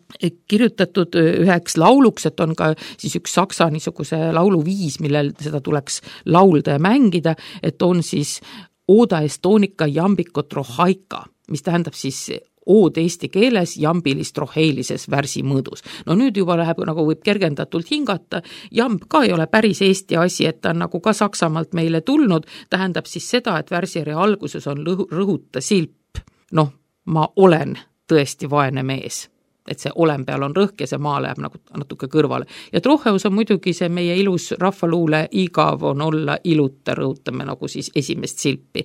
Speaker 3: kirjutatud üheks lauluks, et on ka siis üks saksa niisuguse lauluviis, millel seda tuleks laulda ja mängida, et on siis Oda Estonica jambiko trohaika, mis tähendab siis ood eesti keeles jambilis troheilises värsi mõõdus. No nüüd juba läheb, nagu võib kergendatult hingata, jamb ka ei ole päris eesti asi, et ta on nagu ka Saksamaalt meile tulnud, tähendab siis seda, et värsjärje alguses on lõhu, rõhuta silp. Noh, ma olen tõesti vaene mees. Et see olem peal on rõhk ja see maa läheb nagu natuke kõrvale. Ja Trocheus on muidugi see meie ilus rahvaluule igav on olla iluta, rõhutame nagu siis esimest silpi.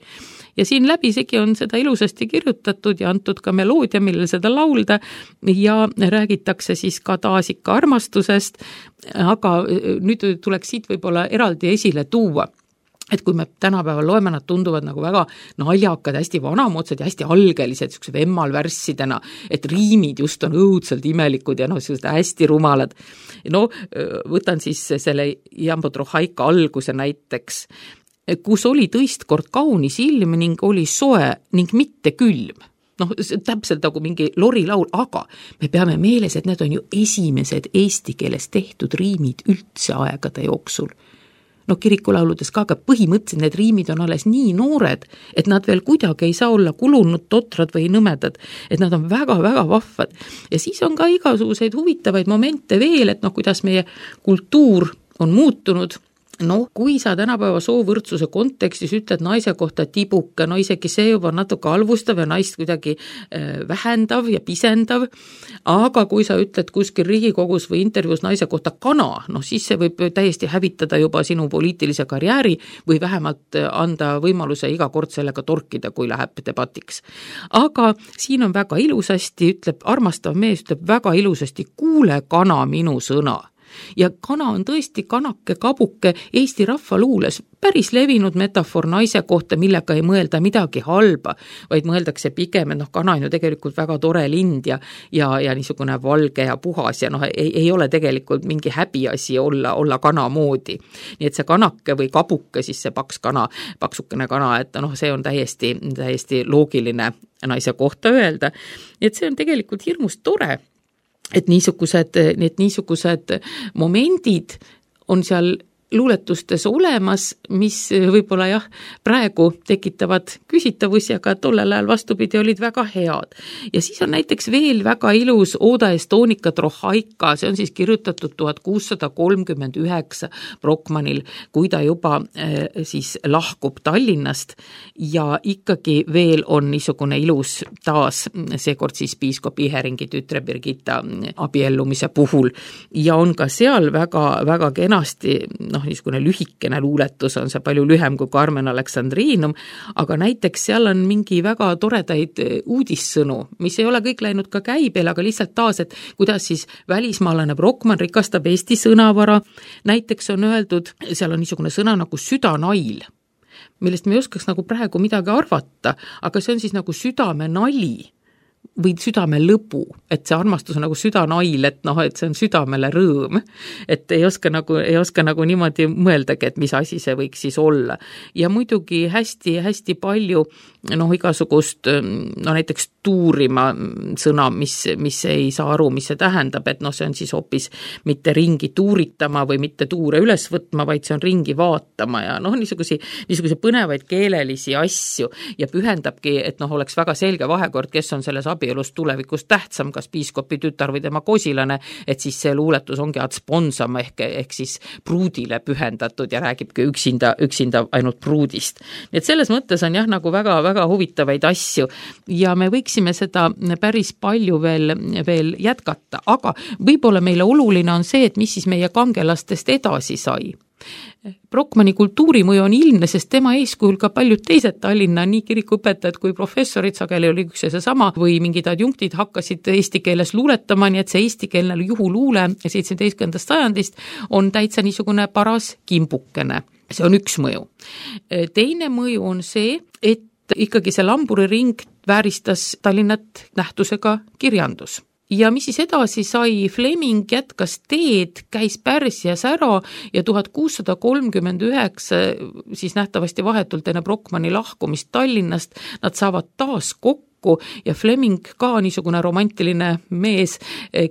Speaker 3: Ja siin läbisegi on seda ilusasti kirjutatud ja antud ka meloodia, millel seda laulda ja räägitakse siis ka taas ikka armastusest, aga nüüd tuleks siit võib-olla eraldi esile tuua, et kui me tänapäeval loeme, nad tunduvad nagu väga naljakad, hästi vanamoodsad ja hästi algelised, siukse vemmalvärssidena, et riimid just on õudselt imelikud ja no hästi rumalad. No võtan siis selle Jambo Trohaika alguse näiteks, kus oli tõistkord kaunis ilm ning oli soe ning mitte külm. Noh, täpselt nagu mingi lorilaul, aga me peame meeles, et need on ju esimesed eesti keeles tehtud riimid üldse aegade jooksul. No kirikulauludes ka, aga põhimõtteliselt need riimid on alles nii noored, et nad veel kuidagi ei saa olla kulunud, totrad või nõmedad, et nad on väga-väga vahvad. Ja siis on ka igasuguseid huvitavaid momente veel, et noh, kuidas meie kultuur on muutunud. No, kui sa tänapäeva soovõrdsuse kontekstis ütled naise kohta tibuke, no isegi see juba natuke halvustav ja naist kuidagi vähendav ja pisendav, aga kui sa ütled kuskil Riigikogus või intervjuus naise kohta kana, no siis see võib täiesti hävitada juba sinu poliitilise karjääri või vähemalt anda võimaluse iga kord sellega torkida, kui läheb debatiks. Aga siin on väga ilusasti, ütleb armastav mees, ütleb väga ilusasti, kuule kana minu sõna. Ja kana on tõesti kanake, kabuke Eesti rahvaluules päris levinud metafoor naise kohta, millega ei mõelda midagi halba, vaid mõeldakse pigem, et noh, kana on ju tegelikult väga tore lind ja, ja, ja niisugune valge ja puhas ja noh, ei, ei ole tegelikult mingi häbiasi olla, olla kana moodi. Nii et see kanake või kabuke, siis see paks kana, paksukene kana, et noh, see on täiesti, täiesti loogiline naise kohta öelda. Nii et see on tegelikult hirmus tore, et niisugused, need niisugused momendid on seal luuletustes olemas, mis võib-olla jah, praegu tekitavad küsitavusi, aga tollel ajal vastupidi olid väga head. Ja siis on näiteks veel väga ilus Oda Estonica Trohaika, see on siis kirjutatud tuhat kuussada kolmkümmend üheksa Brockmanil, kui ta juba äh, siis lahkub Tallinnast ja ikkagi veel on niisugune ilus taas, seekord siis piiskop Iheringi tütre Birgitta abiellumise puhul ja on ka seal väga, väga kenasti noh, niisugune lühikene luuletus on see palju lühem kui Carmen Alexandrinum, aga näiteks seal on mingi väga toredaid uudissõnu, mis ei ole kõik läinud ka käibel, aga lihtsalt taas, et kuidas siis välismaalane Brockmann rikastab Eesti sõnavara. Näiteks on öeldud, seal on niisugune sõna nagu südanail, millest me ei oskaks nagu praegu midagi arvata, aga see on siis nagu südame nali või südame lõbu, et see armastus on nagu südanail, et noh, et see on südamele rõõm, et ei oska nagu, ei oska nagu niimoodi mõeldagi, et mis asi see võiks siis olla. Ja muidugi hästi, hästi palju noh, igasugust no näiteks tuurima sõna, mis, mis ei saa aru, mis see tähendab, et noh, see on siis hoopis mitte ringi tuuritama või mitte tuure üles võtma, vaid see on ringi vaatama ja noh, niisugusi, niisugusi põnevaid keelelisi asju ja pühendabki, et noh, oleks väga selge vahekord, kes on selles abielus tulevikus tähtsam, kas piiskopi tütar või tema kosilane, et siis see luuletus ongi ad sponsam ehk, ehk siis pruudile pühendatud ja räägibki üksinda, üksinda ainult pruudist. Nii et selles mõttes on jah, nagu väga, väga huvitavaid asju ja me võiksime seda päris palju veel, veel jätkata, aga võib-olla meile oluline on see, et mis siis meie kangelastest edasi sai. Brockmanni kultuurimõju on ilmne, sest tema eeskujul ka paljud teised Tallinna nii kirikuõpetajad kui professorid, sageli oli üks ja seesama, või mingid adjunktid hakkasid eesti keeles luuletama, nii et see eestikeelne juhuluule seitsmeteistkümnendast sajandist on täitsa niisugune paras kimbukene. See on üks mõju. Teine mõju on see, et ikkagi see lamburiring vääristas Tallinnat nähtusega kirjandus. Ja mis siis edasi sai, Fleming jätkas teed, käis Pärsias ära ja tuhat kuussada kolmkümmend üheksa siis nähtavasti vahetult enne Brockmanni lahkumist Tallinnast, nad saavad taas kokku ja Fleming ka niisugune romantiline mees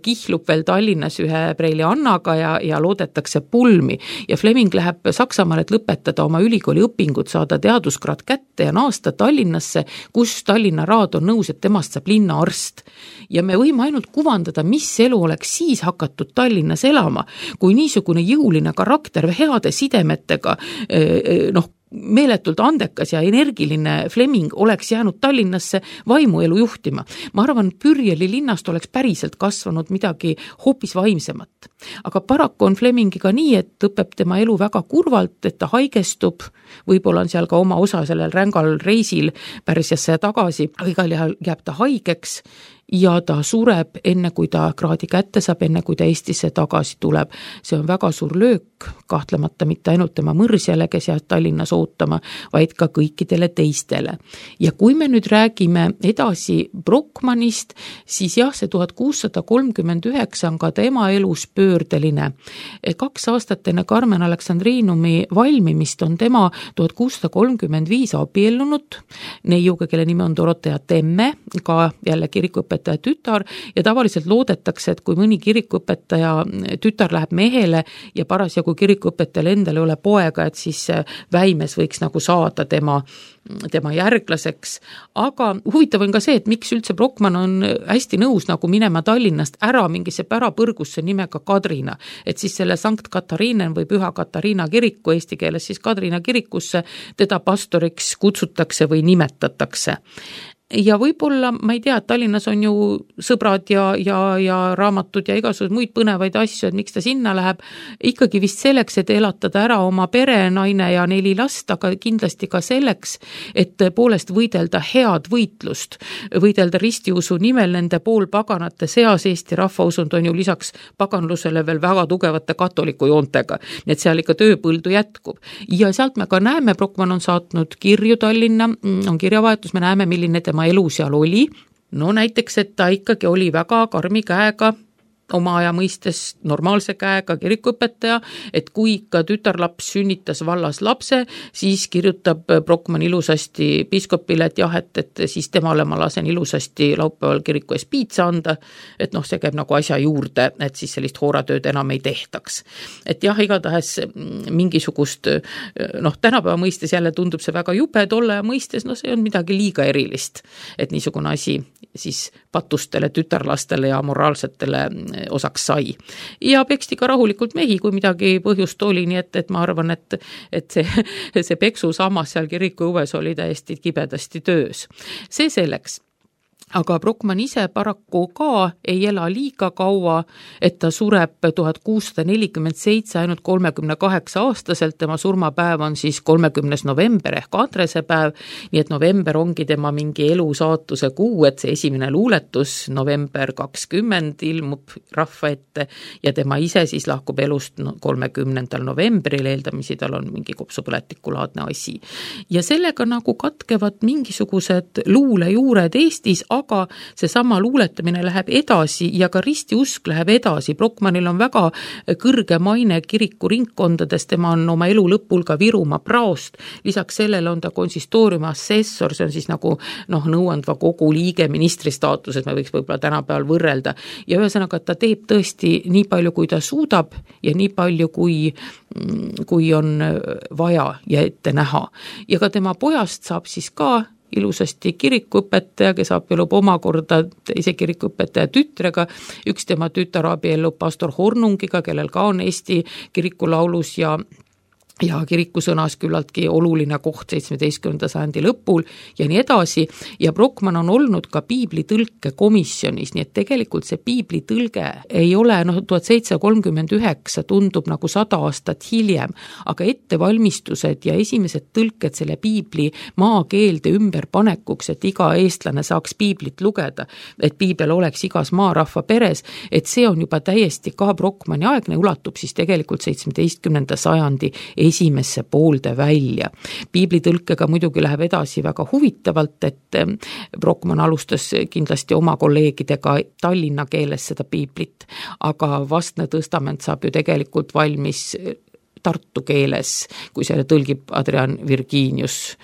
Speaker 3: kihlub veel Tallinnas ühe preili Annaga ja, ja loodetakse pulmi ja Fleming läheb Saksamaale, et lõpetada oma ülikooli õpingud, saada teaduskraad kätte ja naasta Tallinnasse, kus Tallinna raad on nõus, et temast saab linnaarst. Ja me võime ainult kuvandada, mis elu oleks siis hakatud Tallinnas elama, kui niisugune jõuline karakter heade sidemetega noh, meeletult andekas ja energiline Fleming oleks jäänud Tallinnasse vaimuelu juhtima. Ma arvan, Pürjeli linnast oleks päriselt kasvanud midagi hoopis vaimsemat. Aga paraku on Flemingiga nii, et õpeb tema elu väga kurvalt, et ta haigestub, võib-olla on seal ka oma osa sellel rängal reisil Pärsiasse ja tagasi, aga igal juhul jääb ta haigeks ja ta sureb enne, kui ta kraadi kätte saab, enne kui ta Eestisse tagasi tuleb. See on väga suur löök, kahtlemata mitte ainult tema mõrsjale, kes jääb Tallinnas ootama, vaid ka kõikidele teistele. Ja kui me nüüd räägime edasi Brockmannist, siis jah, see tuhat kuussada kolmkümmend üheksa on ka tema elus pöördeline. Kaks aastat enne Carmen Aleksandrinumi valmimist on tema tuhat kuussada kolmkümmend viis abiellunud neiuga, kelle nimi on Dorothea Temme, ka jälle kirikuõpetaja tütar, ja tavaliselt loodetakse, et kui mõni kirikuõpetaja tütar läheb mehele ja parasjagu kirikuõpetajal endal ei ole poega, et siis Väimes võiks nagu saada tema, tema järglaseks. Aga huvitav on ka see, et miks üldse Brockmann on hästi nõus nagu minema Tallinnast ära mingisse pärapõrgusse nimega Kadrina. Et siis selle Sankt Katariinen või Püha Katariina kiriku, eesti keeles siis Kadrina kirikusse, teda pastoriks kutsutakse või nimetatakse. Ja võib-olla, ma ei tea, et Tallinnas on ju sõbrad ja, ja, ja raamatud ja igasugused muid põnevaid asju, et miks ta sinna läheb, ikkagi vist selleks, et elatada ära oma pere, naine ja neli last, aga kindlasti ka selleks, et poolest võidelda head võitlust, võidelda ristiusu nimel nende poolpaganate seas. Eesti rahvausund on ju lisaks paganlusele veel väga tugevate katoliku joontega, nii et seal ikka tööpõldu jätkub. Ja sealt me ka näeme, Brockmann on saatnud kirju Tallinna, on kirjavahetus, me näeme, milline tema elu seal oli. No näiteks, et ta ikkagi oli väga karmi käega, oma aja mõistes normaalse käega kirikuõpetaja, et kui ikka tütarlaps sünnitas vallas lapse, siis kirjutab Brockmann ilusasti piiskopile, et jah, et, et siis temale ma lasen ilusasti laupäeval kiriku ees piitsa anda, et noh, see käib nagu asja juurde, et siis sellist hooratööd enam ei tehtaks. Et jah, igatahes mingisugust, noh, tänapäeva mõistes jälle tundub see väga jube, tolle mõistes, no see on midagi liiga erilist, et niisugune asi siis patustele, tütarlastele ja moraalsetele osaks sai. Ja peksti ka rahulikult mehi, kui midagi põhjust oli, nii et, et ma arvan, et, et see, see peksu samas seal kiriku õues oli täiesti kibedasti töös. See selleks. Aga Brockmann ise paraku ka ei ela liiga kaua, et ta sureb tuhat kuussada nelikümmend seitse ainult kolmekümne kaheksa aastaselt, tema surmapäev on siis kolmekümnes november ehk Andrese päev, nii et november ongi tema mingi elu saatuse kuu, et see esimene luuletus november kakskümmend ilmub rahva ette ja tema ise siis lahkub elust kolmekümnendal novembril, eeldamisi tal on mingi kopsupõletikulaadne asi. Ja sellega nagu katkevad mingisugused luulejuured Eestis, aga seesama luuletamine läheb edasi ja ka ristiusk läheb edasi. Brockmannil on väga kõrge maine kiriku ringkondades, tema on oma elu lõpul ka Virumaa praost, lisaks sellele on ta konsistooriumi assessor, see on siis nagu noh, nõuandva kogu liige ministri staatuses, me võiks võib-olla tänapäeval võrrelda. Ja ühesõnaga, et ta teeb tõesti nii palju, kui ta suudab ja nii palju, kui, kui on vaja ja ette näha. Ja ka tema pojast saab siis ka ilusasti kirikuõpetaja, kes abiellub omakorda teise kirikuõpetaja tütrega, üks tema tütar abiellub pastor Hornungiga, kellel ka on Eesti kirikulaulus ja ja kirikusõnas küllaltki oluline koht seitsmeteistkümnenda sajandi lõpul ja nii edasi. Ja Brockmann on olnud ka piiblitõlke komisjonis, nii et tegelikult see piiblitõlge ei ole, noh, tuhat seitsesada kolmkümmend üheksa tundub nagu sada aastat hiljem, aga ettevalmistused ja esimesed tõlked selle piibli maakeelde ümberpanekuks, et iga eestlane saaks piiblit lugeda, et piibel oleks igas maarahva peres, et see on juba täiesti ka Brockmanni aegne, ulatub siis tegelikult seitsmeteistkümnenda sajandi esimesse poolde välja. Piiblitõlkega muidugi läheb edasi väga huvitavalt, et Brockmann alustas kindlasti oma kolleegidega Tallinna keeles seda piiblit, aga vastne tõstament saab ju tegelikult valmis tartu keeles, kui selle tõlgib Adrian Virginius.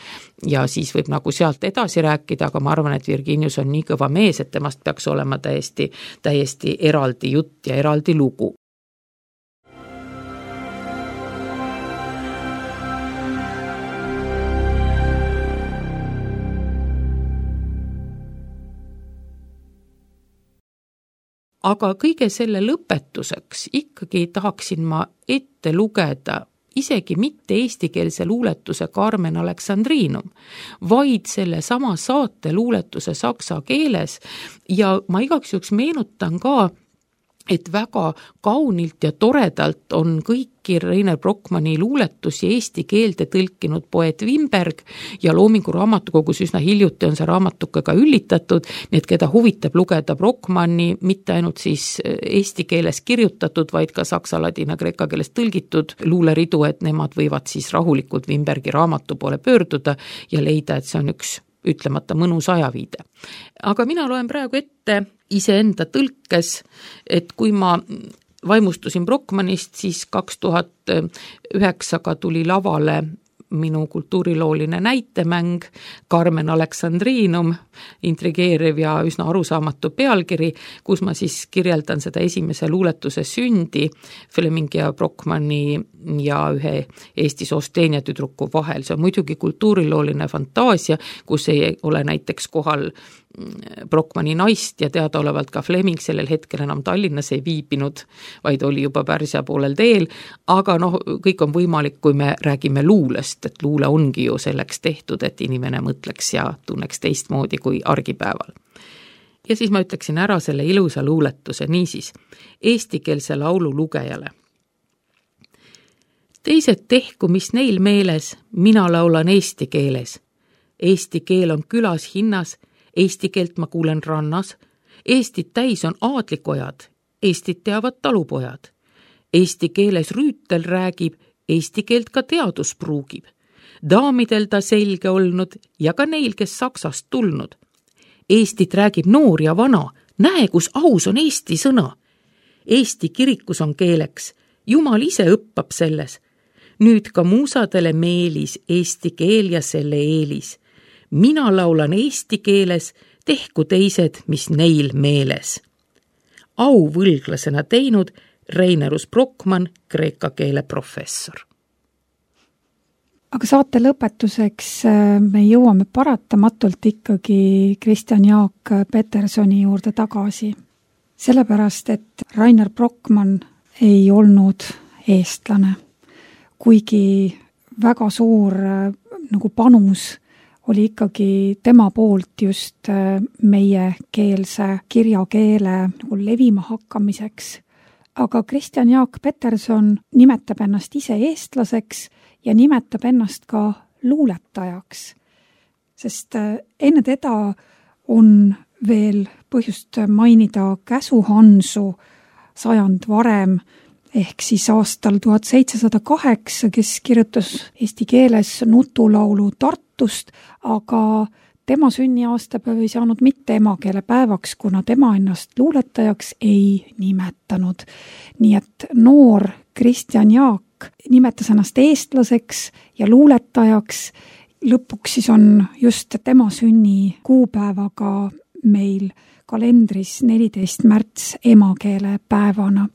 Speaker 3: Ja siis võib nagu sealt edasi rääkida, aga ma arvan, et Virginius on nii kõva mees, et temast peaks olema täiesti, täiesti eraldi jutt ja eraldi lugu. Aga kõige selle lõpetuseks ikkagi tahaksin ma ette lugeda isegi mitte eestikeelse luuletuse Carmen Alexandrinum, vaid selle sama saate luuletuse saksa keeles ja ma igaks juhuks meenutan ka, et väga kaunilt ja toredalt on kõiki Reiner Brockmanni luuletusi eesti keelde tõlkinud poeet Wimberg ja Loomingu raamatukogus üsna hiljuti on see raamatuke ka üllitatud, nii et keda huvitab lugeda Brockmanni, mitte ainult siis eesti keeles kirjutatud, vaid ka saksa, ladina, kreeka keeles tõlgitud luuleridu, et nemad võivad siis rahulikult Wimbergi raamatu poole pöörduda ja leida, et see on üks ütlemata mõnus ajaviide. Aga mina loen praegu ette iseenda tõlkes, et kui ma vaimustusin Brockmannist, siis kaks tuhat üheksaga tuli lavale minu kultuurilooline näitemäng Carmen Alexandrinum, intrigeeriv ja üsna arusaamatu pealkiri, kus ma siis kirjeldan seda esimese luuletuse sündi Fleming ja Brockmanni ja ühe Eesti Sosteenia tüdruku vahel. See on muidugi kultuurilooline fantaasia, kus ei ole näiteks kohal Brockmanni naist ja teadaolevalt ka Fleming sellel hetkel enam Tallinnas ei viibinud, vaid oli juba Pärsia poolel teel, aga noh, kõik on võimalik, kui me räägime luulest, et luule ongi ju selleks tehtud, et inimene mõtleks ja tunneks teistmoodi kui argipäeval. Ja siis ma ütleksin ära selle ilusa luuletuse, niisiis, eestikeelse laulu lugejale. Teised tehku, mis neil meeles, mina laulan eesti keeles. Eesti keel on külas hinnas, Eesti keelt ma kuulen rannas, Eestit täis on aadlikojad, Eestit teavad talupojad. Eesti keeles rüütel räägib, Eesti keelt ka teadus pruugib. Daamidel ta selge olnud ja ka neil, kes Saksast tulnud. Eestit räägib noor ja vana, näe, kus aus on Eesti sõna. Eesti kirikus on keeleks, Jumal ise õppab selles. Nüüd ka muusadele meelis Eesti keel ja selle eelis. Mina laulan eesti keeles, tehku teised, mis neil meeles. Au võlglasena teinud Reinerus Brockmann, kreeka keele professor.
Speaker 2: Aga saate lõpetuseks me jõuame paratamatult ikkagi Kristjan Jaak Petersoni juurde tagasi. Sellepärast, et Reiner Brockmann ei olnud eestlane, kuigi väga suur nagu panus oli ikkagi tema poolt just meie keelse kirjakeele nagu levima hakkamiseks. Aga Kristjan Jaak Peterson nimetab ennast ise eestlaseks ja nimetab ennast ka luuletajaks. Sest enne teda on veel põhjust mainida Käsu Hansu sajand varem, ehk siis aastal tuhat seitsesada kaheksa, kes kirjutas eesti keeles nutulaulu Tartust, aga tema sünniaastapäev ei saanud mitte emakeele päevaks, kuna tema ennast luuletajaks ei nimetanud. Nii et noor Kristjan Jaak nimetas ennast eestlaseks ja luuletajaks. Lõpuks siis on just tema sünni kuupäevaga meil kalendris neliteist märts emakeele päevana.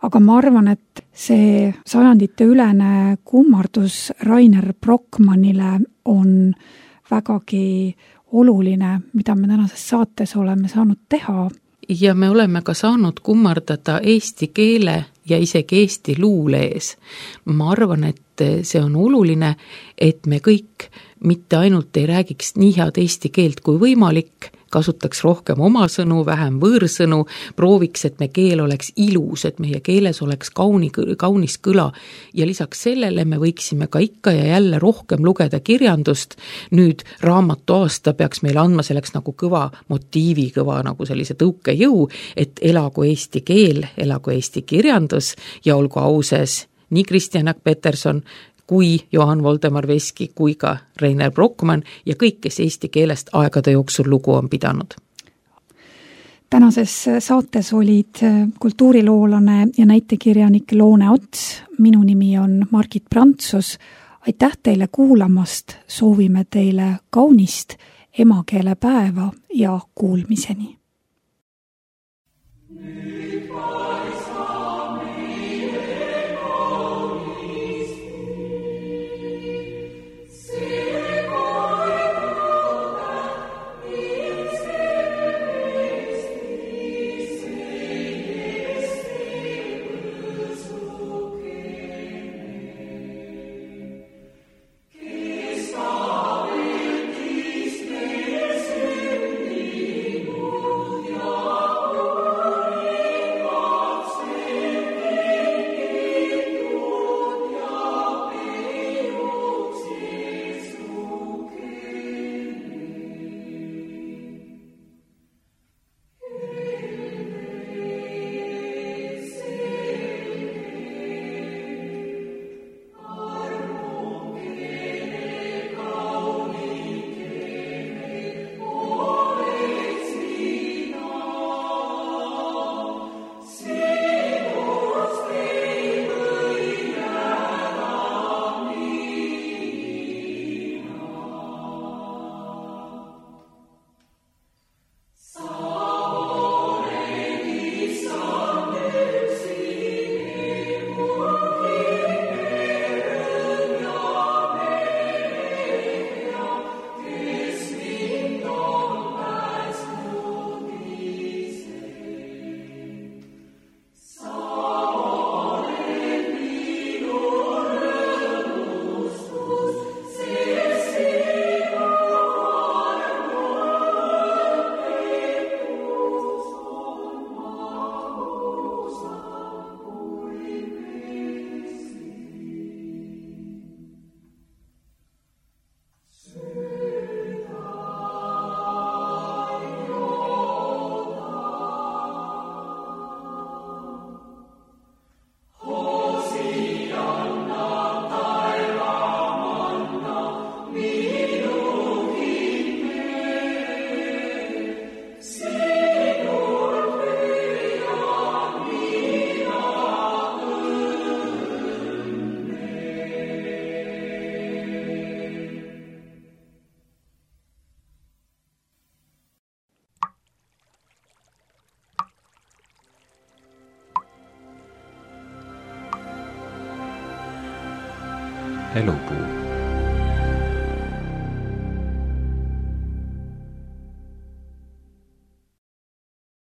Speaker 2: Aga ma arvan, et see sajandite ülene kummardus Reiner Brockmannile on vägagi oluline, mida me tänases saates oleme saanud teha.
Speaker 3: Ja me oleme ka saanud kummardada eesti keele ja isegi eesti luule ees. Ma arvan, et see on oluline, et me kõik mitte ainult ei räägiks nii head eesti keelt kui võimalik, kasutaks rohkem oma sõnu, vähem võõrsõnu, prooviks, et me keel oleks ilus, et meie keeles oleks kauni, kaunis kõla ja lisaks sellele me võiksime ka ikka ja jälle rohkem lugeda kirjandust. Nüüd raamatu aasta peaks meil andma selleks nagu kõva motiivi, kõva nagu sellise tõukejõu, et elagu eesti keel, elagu eesti kirjandus ja olgu auses nii Kristjan Jaak Peterson kui Johann Voldemar Veski, kui ka Reiner Brockmann ja kõik, kes eesti keelest aegade jooksul lugu on pidanud.
Speaker 2: Tänases saates olid kultuuriloolane ja näitekirjanik Loone Ots. Minu nimi on Margit Prantsus. Aitäh teile kuulamast. Soovime teile kaunist emakeelepäeva ja kuulmiseni.
Speaker 1: Elupuu.